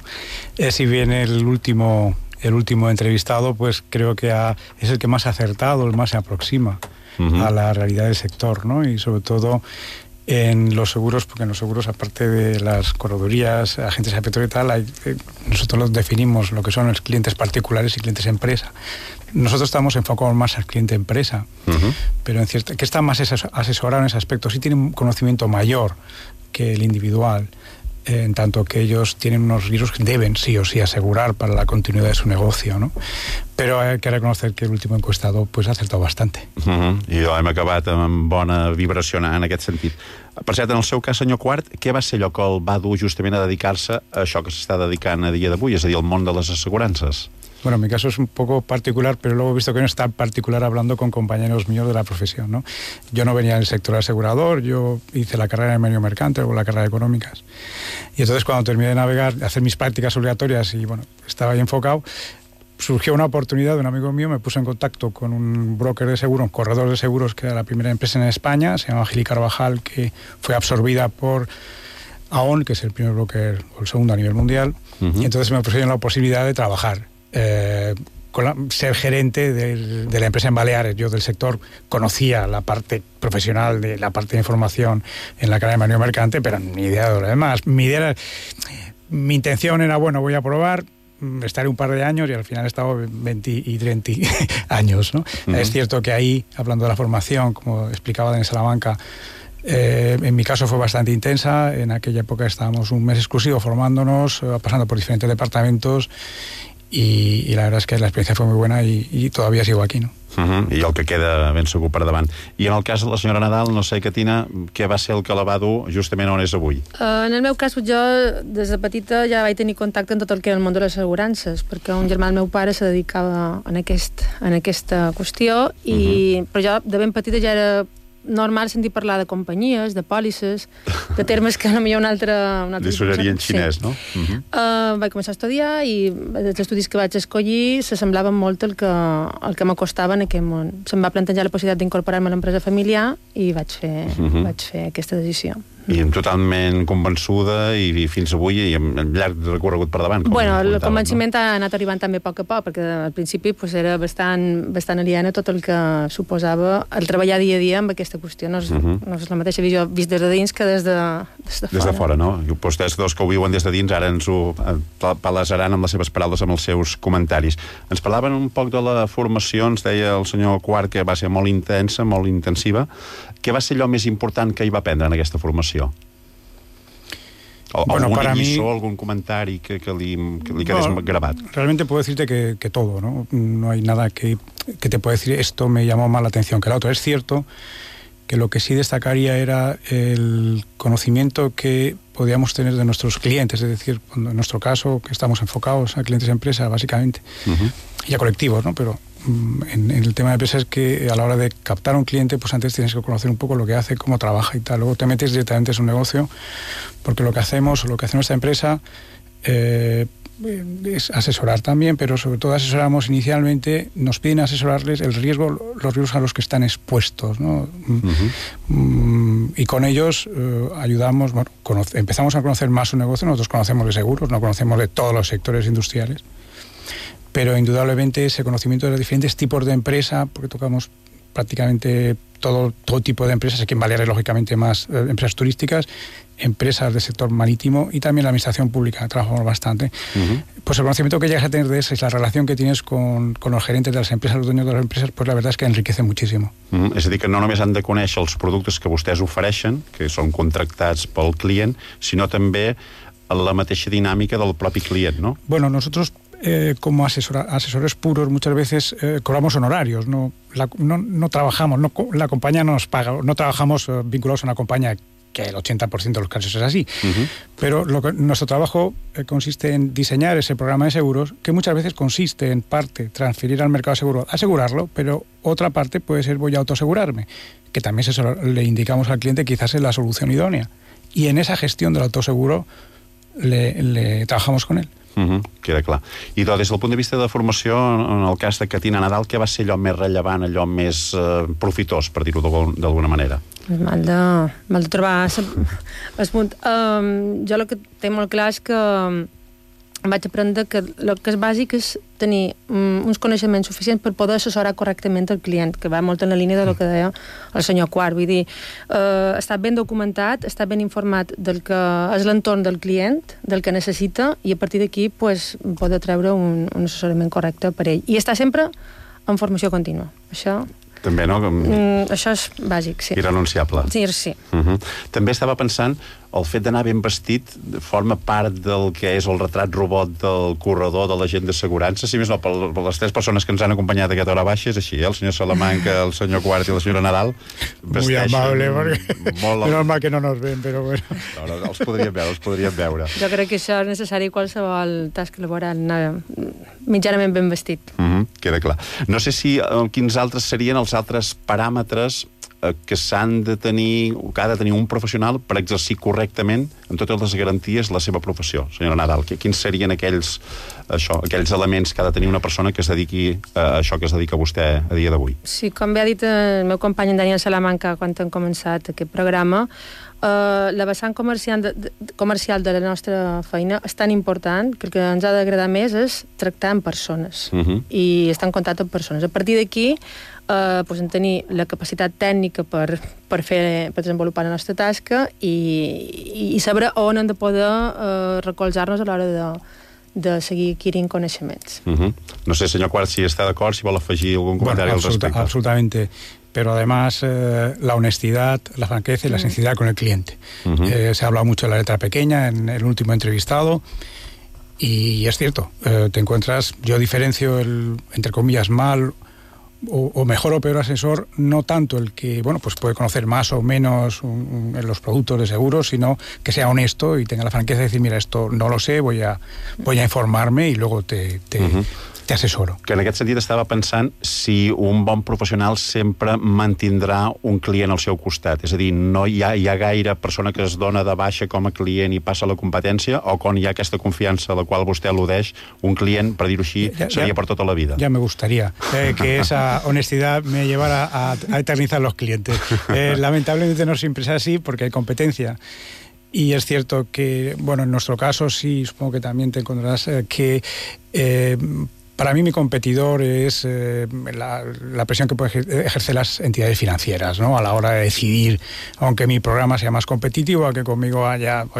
Si bien el último entrevistado, pues creo que es el que más ha acertado, el más se aproxima a la realidad del sector, ¿no? Y sobre todo en los seguros, porque en los seguros, aparte de las corredorías, agentes de petróleo y tal, nosotros los definimos lo que son los clientes particulares y clientes empresa. Nosotros estamos enfocados más al cliente empresa, pero en cierto, que está más asesorado en ese aspecto, sí tiene un conocimiento mayor que el individual, en tanto que ellos tienen unos riesgos que deben sí o sí asegurar para la continuidad de su negocio, ¿no? Però hay que reconocer que el último encuestado pues ha acertado bastante. I hem acabat amb bona vibració en aquest sentit. Per cert, en el seu cas, senyor Quart, què va ser allò que el va dur justament a dedicar-se a això que s'està dedicant a dia d'avui, és a dir, al món de les assegurances? Bueno, en mi caso es un poco particular, pero luego he visto que no es tan particular hablando con compañeros míos de la profesión, ¿no? Yo no venía del sector asegurador, yo hice la carrera de medio mercante o la carrera de económicas. Y entonces cuando terminé de navegar, de hacer mis prácticas obligatorias y bueno, estaba ahí enfocado, surgió una oportunidad de un amigo mío, me puso en contacto con un broker de seguros, un corredor de seguros, que era la primera empresa en España, se llama Gili Carvajal, que fue absorbida por Aon, que es el primer broker o el segundo a nivel mundial, y entonces me ofrecieron la posibilidad de trabajar. Ser gerente de la empresa en Baleares. Yo del sector conocía la parte profesional, de la parte de información en la carrera de manejo mercante, pero ni idea de lo demás. Mi intención era, bueno, voy a probar, estaré un par de años y al final he estado 20 y 30 años, ¿no? Es cierto que ahí, hablando de la formación, como explicaba en Salamanca, en mi caso fue bastante intensa. En aquella época estábamos un mes exclusivo formándonos, pasando por diferentes departamentos. y la verdad es que la experiencia fue muy buena y todavía sigo aquí, ¿no? I el que queda ben segur per davant. I en el cas de la senyora Nadal, no sé, Catina, què va ser el que la va dur justament on és avui? En el meu cas, jo des de petita ja vaig tenir contacte amb tot el que era el món de les assegurances, perquè un germà del meu pare se dedicava en aquesta qüestió, però jo de ben petita ja era normal sentir parlar de companyies, de pòlisses, de termes que potser un altre... Li sonaria en xinès, no? Vaig començar a estudiar i els estudis que vaig escollir s'assemblaven molt el que m'acostava en aquest món. Se'm va plantejar la possibilitat d'incorporar-me a l'empresa familiar i vaig fer aquesta decisió. I totalment convençuda i fins avui i amb llarg recorregut per davant. Bueno, el convenciment ha anat arribant també a poc a poc, perquè al principi era bastant aliena tot el que suposava el treballar dia a dia amb aquesta qüestió. No és la mateixa visió vist des de dins que des de fora. Des de fora, no? I vostès dos que ho viuen des de dins ara ens ho palesaran amb les seves paraules, amb els seus comentaris. Ens parlaven un poc de la formació, ens deia el senyor Quart que va ser molt intensa, molt intensiva. Què va ser allò més important que hi va aprendre en aquesta formació? ¿Alguna lliçó, algún comentario que le quedes grabado? Realmente puedo decirte que todo, ¿no? No hay nada que te pueda decir esto me llamó más la atención que la otra. Es cierto que lo que sí destacaría era el conocimiento que podíamos tener de nuestros clientes, es decir, en nuestro caso, que estamos enfocados a clientes de empresa, básicamente, y a colectivos, ¿no? Pero en el tema de empresa es que a la hora de captar a un cliente, pues antes tienes que conocer un poco lo que hace, cómo trabaja y tal. Luego te metes directamente en su negocio, porque lo que hacemos, o lo que hace nuestra empresa, es asesorar también, pero sobre todo asesoramos inicialmente, nos piden asesorarles los riesgos a los que están expuestos, ¿no? Y con ellos ayudamos, bueno, empezamos a conocer más su negocio. Nosotros conocemos de seguros, no conocemos de todos los sectores industriales, pero indudablemente ese conocimiento de los diferentes tipos de empresa, porque tocamos prácticamente todo tipo de empresas, aquí en Baleares lógicamente más empresas turísticas, empresas del sector marítimo y también la administración pública, trabajamos bastante. Pues el conocimiento que llegas a tener de eso y la relación que tienes con los gerentes de las empresas, los dueños de las empresas, pues la verdad es que enriquece muchísimo. És a dir, que no només han de conèixer els productes que vostès ofereixen, que són contractats pel client, sinó també la mateixa dinàmica del propi client, ¿no? Bueno, nosotros como asesores puros muchas veces cobramos honorarios, no trabajamos, la compañía no nos paga, no trabajamos vinculados a una compañía, que el 80% de los casos es así, pero nuestro trabajo consiste en diseñar ese programa de seguros, que muchas veces consiste en parte transferir al mercado de seguro, asegurarlo, pero otra parte puede ser voy a autoasegurarme, que también le indicamos al cliente quizás es la solución idónea, y en esa gestión del autoseguro le trabajamos con él. Queda clar. I des del punt de vista de formació, en el cas de Catina Nadal, què va ser allò més rellevant, allò més profitós, per dir-ho d'alguna manera? Mal de trobar el punt. Jo el que tinc molt clar és que vaig aprendre que el que és bàsic és tenir uns coneixements suficients per poder assessorar correctament el client, que va molt en la línia del que deia el senyor Quart. Vull dir, estar ben documentat, estar ben informat del que és l'entorn del client, del que necessita, i a partir d'aquí pues, poder treure un assessorament correcte per ell. I estar sempre en formació contínua. Això... També, no? Això és bàsic, sí. Irrenunciable. Sí. També estava pensant, el fet d'anar ben vestit forma part del que és el retrat robot del corredor de l'agent d'assegurança, si més no, per les tres persones que ens han acompanyat a aquesta hora baixa, és així, el senyor Salamanca, el senyor Quart i la senyora Nadal muy amable, porque menos mal que no nos ven, però bueno. No, els podríem veure. Jo crec que això és necessari qualsevol tasca laboral, anar mitjanament ben vestit. Queda clar. No sé si quins altres serien els altres paràmetres que s'han de tenir, o que ha de tenir un professional per exercir correctament, amb totes les garanties, la seva professió. Senyora Nadal, quins serien aquells elements que ha de tenir una persona que es dediqui a això que es dedica vostè a dia d'avui? Sí, com bé ha dit el meu company en Daniel Salamanca quan hem començat aquest programa, la vessant comercial de la nostra feina és tan important que el que ens ha d'agradar més és tractar amb persones i estar en contacte amb persones. A partir d'aquí, en tenir la capacitat tècnica per desenvolupar la nostra tasca i saber on hem de poder recolzar-nos a l'hora de seguir adquirint coneixements. No sé, senyor Quart, si està d'acord, si vol afegir algun comentari al respecte. Absolutamente. Pero además la honestidad, la franqueza y la sinceridad con el cliente. Se ha hablado mucho de la letra pequeña en el último entrevistado Y es cierto, te encuentras, yo diferencio el, entre comillas, mal o mejor o peor asesor, no tanto el que, bueno, pues puede conocer más o menos los productos de seguros, sino que sea honesto y tenga la franqueza de decir, mira, esto no lo sé, voy a informarme y luego te assessoro. Que en aquest sentit estava pensant si un bon professional sempre mantindrà un client al seu costat. És a dir, no hi ha gaire persona que es dona de baixa com a client i passa a la competència, o quan hi ha aquesta confiança a la qual vostè al·ludeix, un client, per dir-ho així, seria per tota la vida. Ya me gustaría que esa honestidad me llevara a eternizar los clientes. Lamentablemente no siempre es así porque hay competencia. Y es cierto que, bueno, en nuestro caso sí, supongo que también te encontrarás que para mí mi competidor es la presión que pueden ejercer las entidades financieras, ¿no? A la hora de decidir, aunque mi programa sea más competitivo, a que conmigo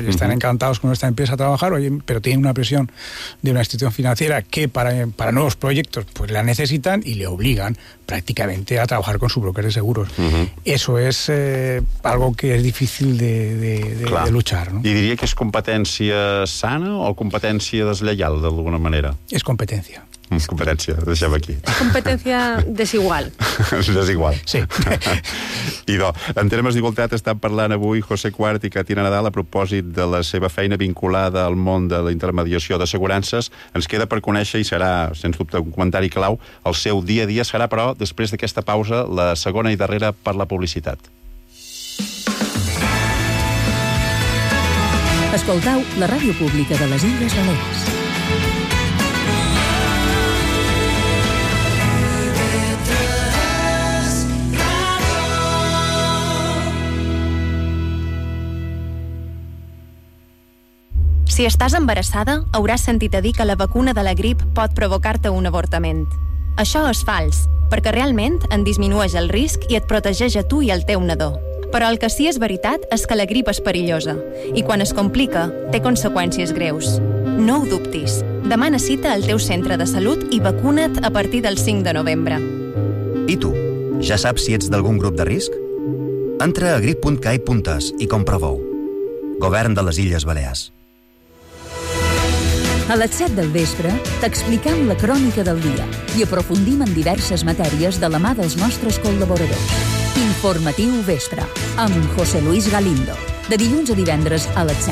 están encantados con esta empresa a trabajar, pero tienen una presión de una institución financiera que para nuevos proyectos pues la necesitan y le obligan prácticamente a trabajar con su broker de seguros. Eso es algo que es difícil de luchar, ¿no? I diria que és competència sana o competència deslleial, d'alguna manera? És competència. Competència, deixem aquí. Competència desigual. Desigual. Sí. Idò, en termes d'igualtat estan parlant avui José Cuart i Catina Nadal a propòsit de la seva feina vinculada al món de la intermediació d'assegurances. Ens queda per conèixer, i serà, sens dubte, un comentari clau, el seu dia a dia serà, però, després d'aquesta pausa, la segona i darrera per la publicitat. Escoltau la ràdio pública de les Illes Balears. Si estàs embarassada, hauràs sentit a dir que la vacuna de la grip pot provocar-te un avortament. Això és fals, perquè realment en disminueix el risc i et protegeix a tu i al teu nadó. Però el que sí és veritat és que la grip és perillosa i quan es complica té conseqüències greus. No ho dubtis. Demana cita al teu centre de salut i vacuna't a partir del 5 de novembre. I tu? Ja saps si ets d'algun grup de risc? Entra a grip.cai.es i comprova-ho. Govern de les Illes Balears. A les 7 del vespre t'explicam la crònica del dia i aprofundim en diverses matèries de la mà dels nostres col·laboradors. Informatiu Vespre, amb José Luis Galindo, de dilluns a divendres a les 7.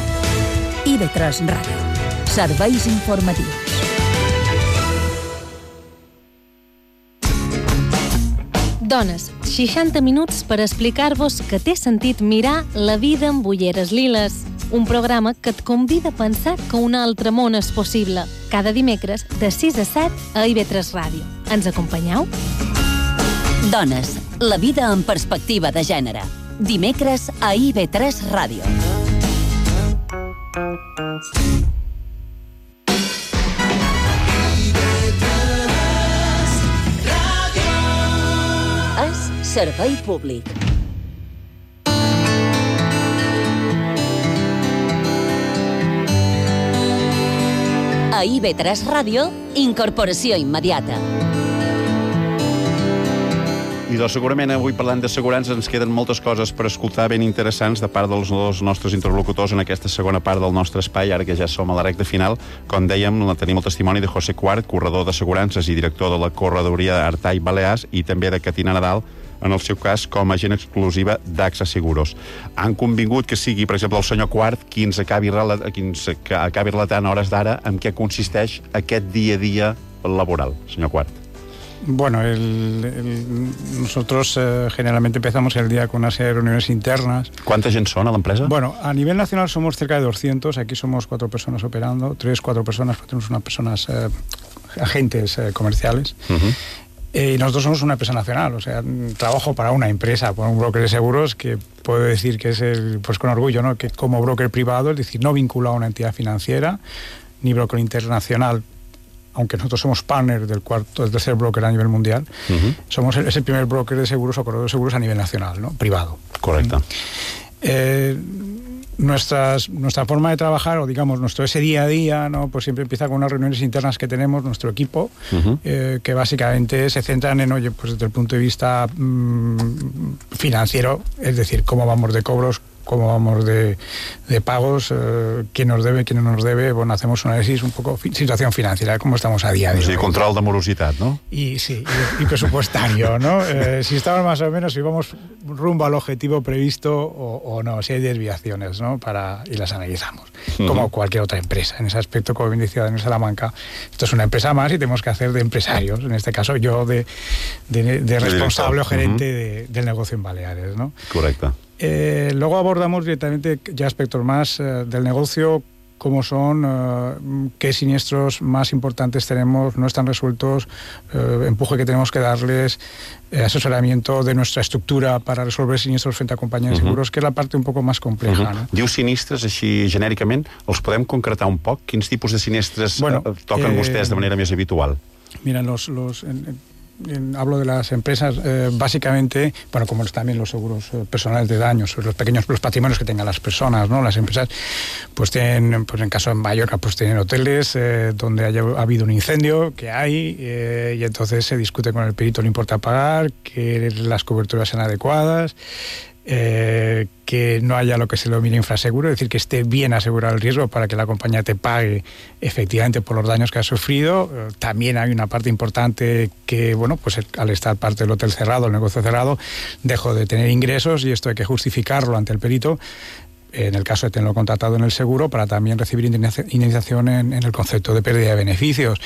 IB3 Ràdio. Serveis informatius. Dones, 60 minuts per explicar-vos que té sentit mirar la vida amb ulleres liles. Un programa que et convida a pensar que un altre món és possible. Cada dimecres, de 6 a 7, a IB3 Ràdio. Ens acompanyeu? Dones, la vida en perspectiva de gènere. Dimecres a IB3 Ràdio. És servei públic. A IB3 Ràdio, incorporació immediata. I doncs segurament avui parlant d'assegurances ens queden moltes coses per escoltar ben interessants de part dels nostres interlocutors en aquesta segona part del nostre espai, ara que ja som a la recta final. Com dèiem, tenim el testimoni de José Cuart, corredor d'assegurances i director de la corredoria Artai Balears, i també de Catina Nadal, en el seu cas com a agent exclusiva d'AXA Seguros. Han convingut que sigui, per exemple, el senyor Cuart qui ens acabi relatant a hores d'ara en què consisteix aquest dia a dia laboral, senyor Cuart. Bueno, nosotros generalmente empezamos el día con una serie de reuniones internas. ¿Cuánta gente son a la empresa? Bueno, a nivel nacional somos cerca de 200, aquí somos 4 personas operando, 4 personas, tenemos unas personas, agentes comerciales. Y nosotros somos una empresa nacional, o sea, trabajo para una empresa, para un broker de seguros que puedo decir que es pues con orgullo, ¿no? Que como broker privado, es decir, no vinculado a una entidad financiera, ni broker internacional, aunque nosotros somos partner del tercer broker a nivel mundial, es el primer broker de seguros o corredor de seguros a nivel nacional, ¿no? Privado. Correcto. Nuestra forma de trabajar, o digamos, ese día a día, ¿no? Pues siempre empieza con unas reuniones internas que tenemos, nuestro equipo, que básicamente se centran en, pues desde el punto de vista financiero, es decir, cómo vamos de cobros, cómo vamos de pagos, quién nos debe, quién no nos debe. Bueno, hacemos un análisis un poco situación financiera, cómo estamos a día de hoy. Sí, control de morositat, ¿no? Y sí, y presupuestario, ¿no? Si estamos más o menos, si vamos rumbo al objetivo previsto o no, si hay desviaciones, ¿no? Y las analizamos, como cualquier otra empresa. En ese aspecto, como bien decía Daniel Salamanca, esto es una empresa más y tenemos que hacer de empresarios, en este caso yo de responsable o gerente del negocio en Baleares, ¿no? Correcte. Luego abordamos directamente ya aspectos más del negocio, cómo son, qué siniestros más importantes tenemos, no están resueltos, empuje que tenemos que darles, asesoramiento de nuestra estructura para resolver siniestros frente a compañías de seguros, que és la part un poco más compleja. No? Diu sinistres així genèricament, els podem concretar un poc? Quins tipus de sinistres toquen vostès de manera més habitual? Mira, hablo de las empresas, básicamente, bueno, como también los seguros personales de daños, los patrimonios que tengan las personas, ¿no? Las empresas, pues tienen, pues en caso de Mallorca, pues tienen hoteles donde ha habido un incendio, que hay, y entonces se discute con el perito el importe a pagar, que las coberturas sean adecuadas, que no haya lo que se denomina infraseguro, es decir, que esté bien asegurado el riesgo para que la compañía te pague efectivamente por los daños que ha sufrido. También hay una parte importante que, bueno, pues al estar parte del hotel cerrado, el negocio cerrado, dejo de tener ingresos y esto hay que justificarlo ante el perito, en el caso de tenerlo contratado en el seguro, para también recibir indemnización en el concepto de pérdida de beneficios.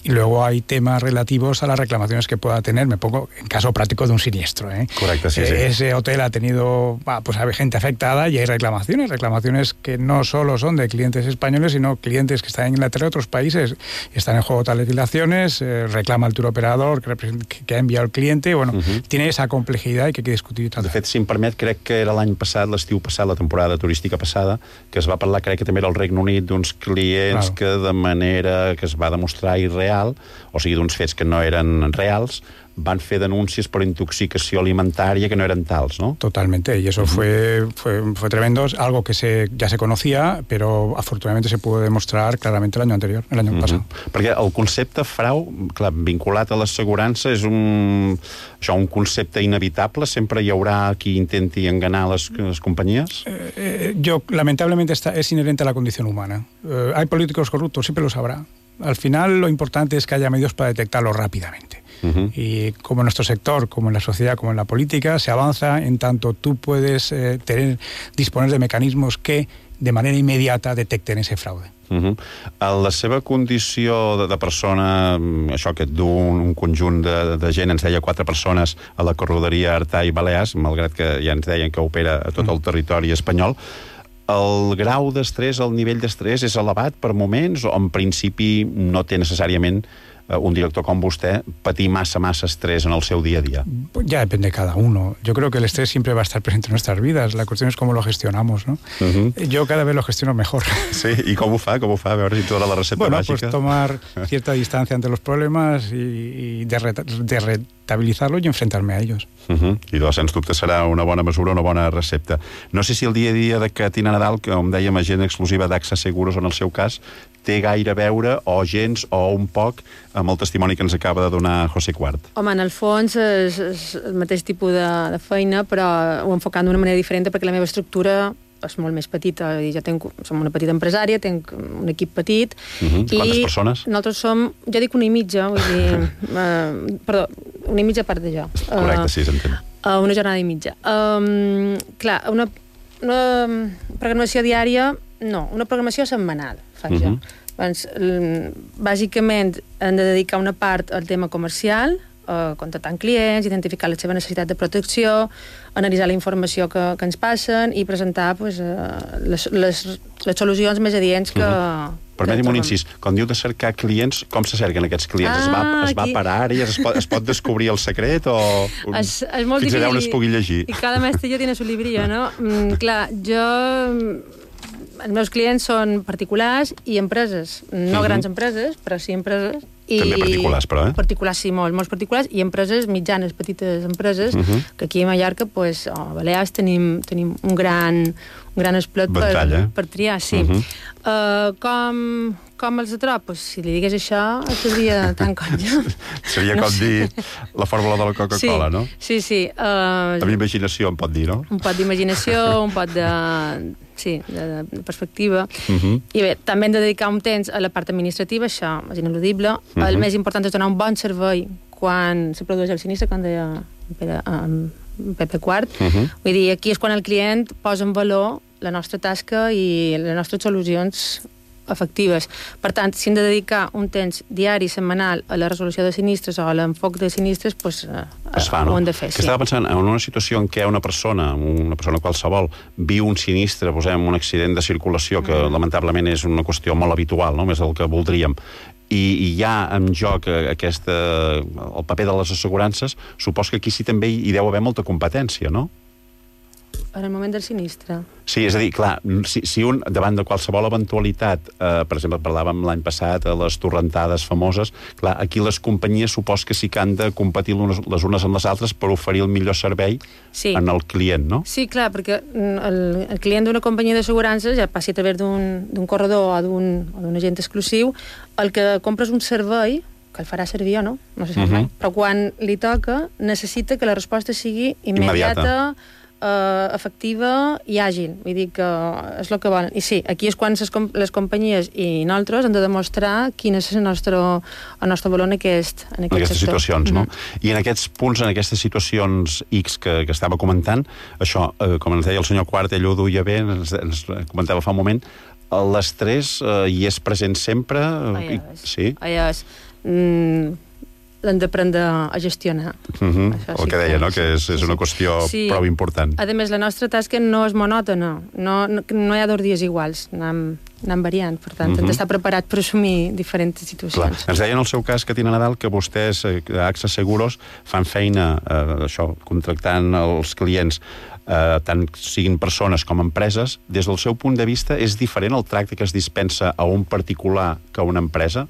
Y luego hay temas relativos a las reclamaciones que pueda tener, me pongo en caso práctico de un siniestro. Correcto, sí, sí. Ese hotel ha tenido, pues hay gente afectada y hay reclamaciones que no solo son de clientes españoles, sino clientes que están en Inglaterra y otros países. Están en juego tales legislaciones, reclama el turoperador que ha enviado el cliente, bueno, tiene esa complejidad y que hay que discutir. De fet, si em permet, crec que era l'any passat, l'estiu passat, la temporada turística passada, que es va parlar, crec que també era al Regne Unit, d'uns clients que de manera que es va demostrar irreal, o sigui, d'uns fets que no eren reals, van fer denúncies por intoxicació alimentària que no eren tals, ¿no? Totalmente, y eso fue tremendo, algo que ya se conocía, pero afortunadamente se pudo demostrar claramente el año pasado. Perquè el concepte frau, clar, vinculat a l'assegurança, és un concepte inevitable? Sempre hi haurà qui intenti enganar les companyies? Lamentablemente es inherente a la condición humana. Hay políticos corruptos, siempre los habrá. Al final lo importante es que haya medios para detectarlo rápidamente. Y como en nuestro sector, como en la sociedad, como en la política, se avanza en tanto tú puedes disponer de mecanismos que de manera inmediata detecten ese fraude. A la seva condició de persona, això que du un conjunt de gent, ens deia 4 persones a la corredoria Artà i Balears, malgrat que ja ens deien que opera a tot el territori espanyol, el grau d'estrès, el nivell d'estrès és elevat per moments o en principi no té necessàriament un director com usted patir massa estrés en el seu día a día? Ya depende de cada uno. Yo creo que el estrés siempre va a estar presente en nuestras vidas. La cuestión es cómo lo gestionamos, ¿no? Yo cada vez lo gestiono mejor. Sí, ¿y cómo fa? A veure si toda la receta mágica. Pues tomar cierta distancia ante los problemas y de rentabilitzar-lo i enfrentar-me a ells. I doncs, sens dubte, serà una bona mesura, una bona recepta. No sé si el dia a dia de Catina Nadal, que com dèiem, agent exclusiva d'AXA Seguros en el seu cas, té gaire a veure, o gens, o un poc, amb el testimoni que ens acaba de donar José Quart. Home, en el fons és el mateix tipus de feina, però ho enfocant d'una manera diferent perquè la meva estructura és molt més petita. Som una petita empresària, tenc un equip petit. Quantes persones? Nosaltres som, jo dic una i mitja, vull dir... Perdó, una i mitja part de jo. Correcte, sí, s'entén. Una jornada i mitja. Clar, una programació diària, no, una programació setmanal, faig jo. Bàsicament, hem de dedicar una part al tema comercial, contactar clients, identificar la seva necessitat de protecció, analitzar la informació que ens passen i presentar les solucions més adients que... Permeti'm un incís, quan diu de cercar clients, com se cerquen aquests clients? Es va per àrees? Es pot descobrir el secret? O és molt fins allà on es pugui llegir? I cada mestre ja tiene su librillo, no? Clar, els meus clients són particulars i empreses, no grans empreses, però sí empreses. També particulars, però, Particulars, sí, molts particulars, i empreses mitjanes, petites empreses, que aquí a Mallorca, a Balears, tenim un gran esplot per triar, sí. Com com els atrop? Pues, si li digués això, seria tan conya. Seria com dir la fórmula de la Coca-Cola, no? Sí. Amb imaginació, em pot dir, no? Un pot d'imaginació, un pot de perspectiva. I bé, també hem de dedicar un temps a la part administrativa, això és ineludible. El més important és donar un bon servei quan se produeix el sinistre, com deia Pepe Quart. Vull dir, aquí és quan el client posa en valor la nostra tasca i les nostres solucions efectives. Per tant, si hem de dedicar un temps diari, setmanal, a la resolució de sinistres o a l'enfoc de sinistres, doncs ho hem de fer. Estava pensant en una situació en què una persona qualsevol, viu un sinistre, posem un accident de circulació, que lamentablement és una qüestió molt habitual, no? Més del que voldríem, i hi ha en joc el paper de les assegurances, supos que aquí sí també hi deu haver molta competència, no? En el moment del sinistre. Sí, és a dir, clar, si un, davant de qualsevol eventualitat, per exemple, parlàvem l'any passat de les torrentades famoses, clar, aquí les companyies supos que sí que han de competir les unes amb les altres per oferir el millor servei en el client, no? Sí, clar, perquè el client d'una companyia d'assegurances, ja passi a través d'un corredor o d'un agent exclusiu, el que compra és un servei que el farà servir o no sé si mai, però quan li toca necessita que la resposta sigui immediata, efectiva i àgil. Vull dir que és el que volen. I sí, aquí és quan les companyies i nosaltres hem de demostrar quin és el nostre valor en aquest aquestes situacions, no? I en aquests punts, en aquestes situacions X que estava comentant, això, com ens deia el senyor Quart, ell ho duia bé, ens comentava fa un moment, l'estrès hi és present sempre? Sí? L'hem d'aprendre a gestionar. El que deia, no? Que és una qüestió prou important. A més, la nostra tasca no és monòtona. No hi ha 2 dies iguals. Anem variant. Per tant, hem d'estar preparat per assumir diferents situacions. Ens deia en el seu cas, Catina Nadal, que vostès, AXA Seguros, fan feina, contractant els clients, tant siguin persones com empreses. Des del seu punt de vista, és diferent el tracte que es dispensa a un particular que a una empresa?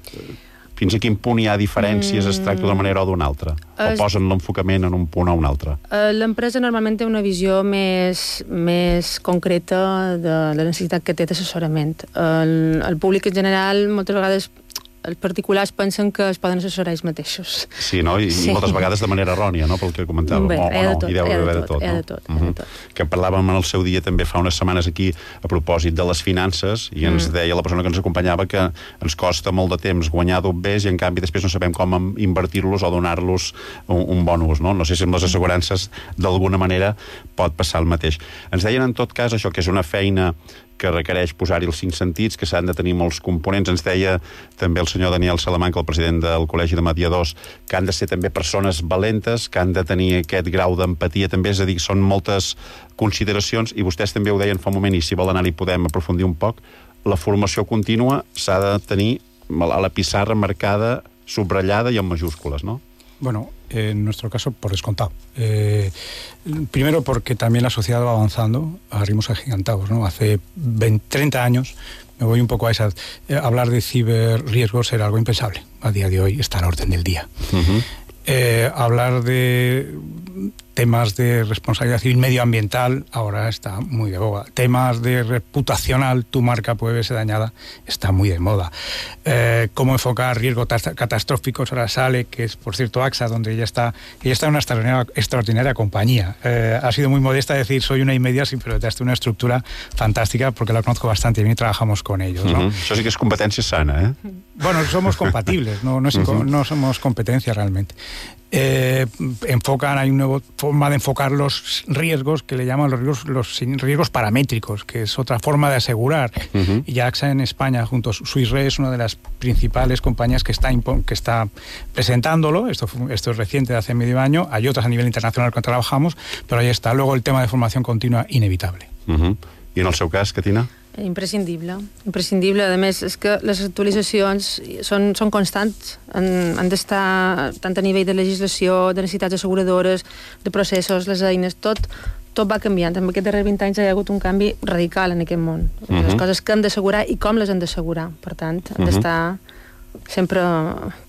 Fins a quin punt hi ha diferències, es tracta d'una manera o d'una altra? O posen l'enfocament en un punt o un altre? L'empresa normalment té una visió més concreta de la necessitat que té d'assessorament. El públic en general, moltes vegades, els particulars pensen que es poden assessorar ells mateixos. Sí, no? I moltes vegades de manera errònia, no? Pel que comentàvem. Bé, hi ha de tot. Que parlàvem en el seu dia també fa unes setmanes aquí a propòsit de les finances i ens deia la persona que ens acompanyava que ens costa molt de temps guanyar dobbers i en canvi després no sabem com invertir-los o donar-los un bon ús, no? No sé si amb les assegurances d'alguna manera pot passar el mateix. Ens deien en tot cas això, que és una feina que requereix posar-hi els 5 sentits, que s'han de tenir molts components. Ens deia també el senyor Daniel Salamanca, el president del Col·legi de Mediadors, que han de ser també persones valentes, que han de tenir aquest grau d'empatia també, és a dir, són moltes consideracions, i vostès també ho deien fa un moment, i si vol anar-hi podem aprofundir un poc, la formació contínua s'ha de tenir a la pissarra marcada, subratllada i en majúscules, no? Bueno, en nuestro caso, por descontado. Primero porque también la sociedad va avanzando a ritmos agigantados, ¿no? Hace 30 años, me voy un poco a esa... hablar de ciberriesgos era algo impensable. A día de hoy está a la orden del día. Hablar de temas de responsabilidad civil medioambiental ahora está muy de boga. Temas de reputacional, tu marca puede verse dañada, está muy de moda. Cómo enfocar riesgos catastróficos, ahora sale, que es por cierto AXA, donde ella está en una extraordinaria compañía. Ha sido muy modesta decir soy una inmedia, sí, pero detrás de una estructura fantástica porque la conozco bastante bien y trabajamos con ellos, ¿no? Això sí que és competència sana, ¿eh? Bueno, somos compatibles, no somos competencia realmente. Enfocan, hay una nueva forma de enfocar los riesgos que le llaman los riesgos paramétricos, que es otra forma de asegurar. Y AXA en España, junto a Swiss Re, es una de las principales compañías que está presentándolo. Esto es reciente, de hace medio año. Hay otras a nivel internacional que trabajamos, pero ahí está. Luego el tema de formación continua, inevitable. I en el seu cas, Catina? Imprescindible. A més, és que les actualitzacions són constants. Han d'estar tant a nivell de legislació, de necessitats asseguradores, de processos, les eines, tot va canviant. En aquests darrers 20 anys hi ha hagut un canvi radical en aquest món. Les coses que hem d'assegurar i com les hem d'assegurar. Per tant, hem d'estar sempre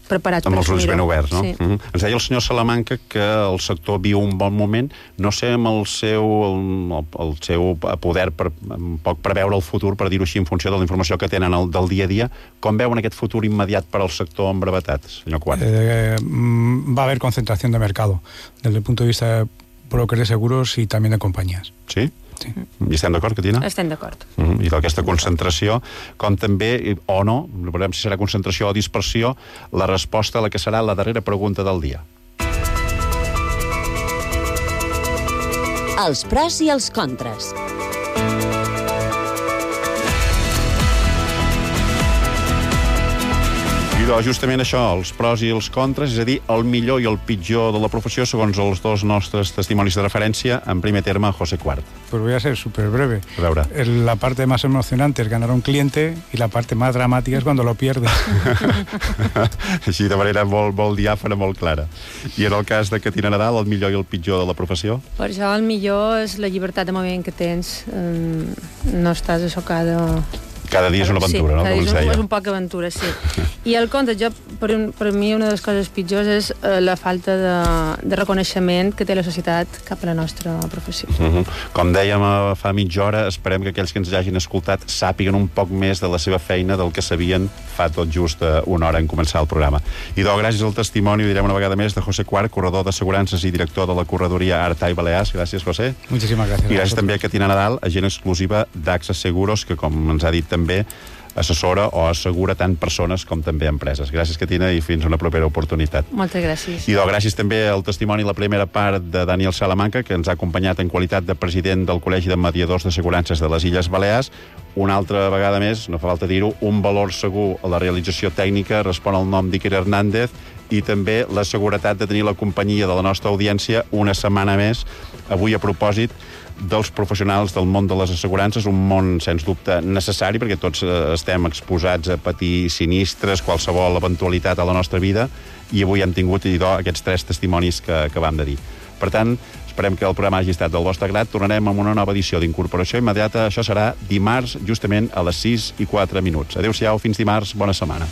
preparats amb els ulls ben oberts, no? Sí. Ens deia el senyor Salamanca que el sector viu un bon moment. No sé amb el seu poder per un poc preveure el futur, per dir-ho així, en funció de la informació que tenen del dia a dia, com veuen aquest futur immediat per al sector en brevetat, senyor Quart? Va a haber concentración de mercado, desde el punto de vista de brokers de seguros y también de compañías. Sí? Sí. I estem d'acord, Catina? Estem d'acord. I d'aquesta concentració, com també, o no, veurem si serà concentració o dispersió, la resposta a la que serà la darrera pregunta del dia. Els pros i els contres. Justament això, els pros i els contres, és a dir, el millor i el pitjor de la professió, segons els dos nostres testimonis de referència, en primer terme, José Quart. Pues voy a ser súper breve. A veure. La parte más emocionante es ganar a un cliente y la parte más dramática es cuando lo pierdes. Així de manera molt diàfana, molt clara. I en el cas de Catina Nadal, el millor i el pitjor de la professió? Per això el millor és la llibertat de moviment que tens. No estàs assocada... Cada dia és una aventura, sí, no? Cada dia és un poc aventura, sí. I el conte, per mi una de les coses pitjors és la falta de reconeixement que té la societat cap a la nostra professió. Com dèiem fa mitja hora, esperem que aquells que ens hagin escoltat sàpiguen un poc més de la seva feina del que sabien fa tot just una hora en començar el programa. I gràcies al testimoni, ho direm una vegada més, de José Quart, corredor d'assegurances i director de la corredoria Artay Balears. Gràcies, José. Muchísimas gracias. I gràcies també a Catina Nadal, agent exclusiva d'AXA Seguros, que, com ens ha dit també, assessora o assegura tant persones com també empreses. Gràcies, Catina, i fins a una propera oportunitat. Moltes gràcies. I gràcies també al testimoni, la primera part de Daniel Salamanca, que ens ha acompanyat en qualitat de president del Col·legi de Mediadors d'Assegurances de les Illes Balears. Una altra vegada més, no fa falta dir-ho, un valor segur a la realització tècnica respon al nom d'Iker Hernández, i també la seguretat de tenir la companyia de la nostra audiència una setmana més, avui a propòsit dels professionals del món de les assegurances, un món, sens dubte, necessari, perquè tots estem exposats a patir sinistres, qualsevol eventualitat a la nostra vida, i avui hem tingut aquests 3 testimonis que vam de dir. Per tant, esperem que el programa hagi estat del vostre grat. Tornarem amb una nova edició d'Incorporació Immediata. Això serà dimarts, justament a les 6:04. Adéu-siau, fins dimarts, bona setmana.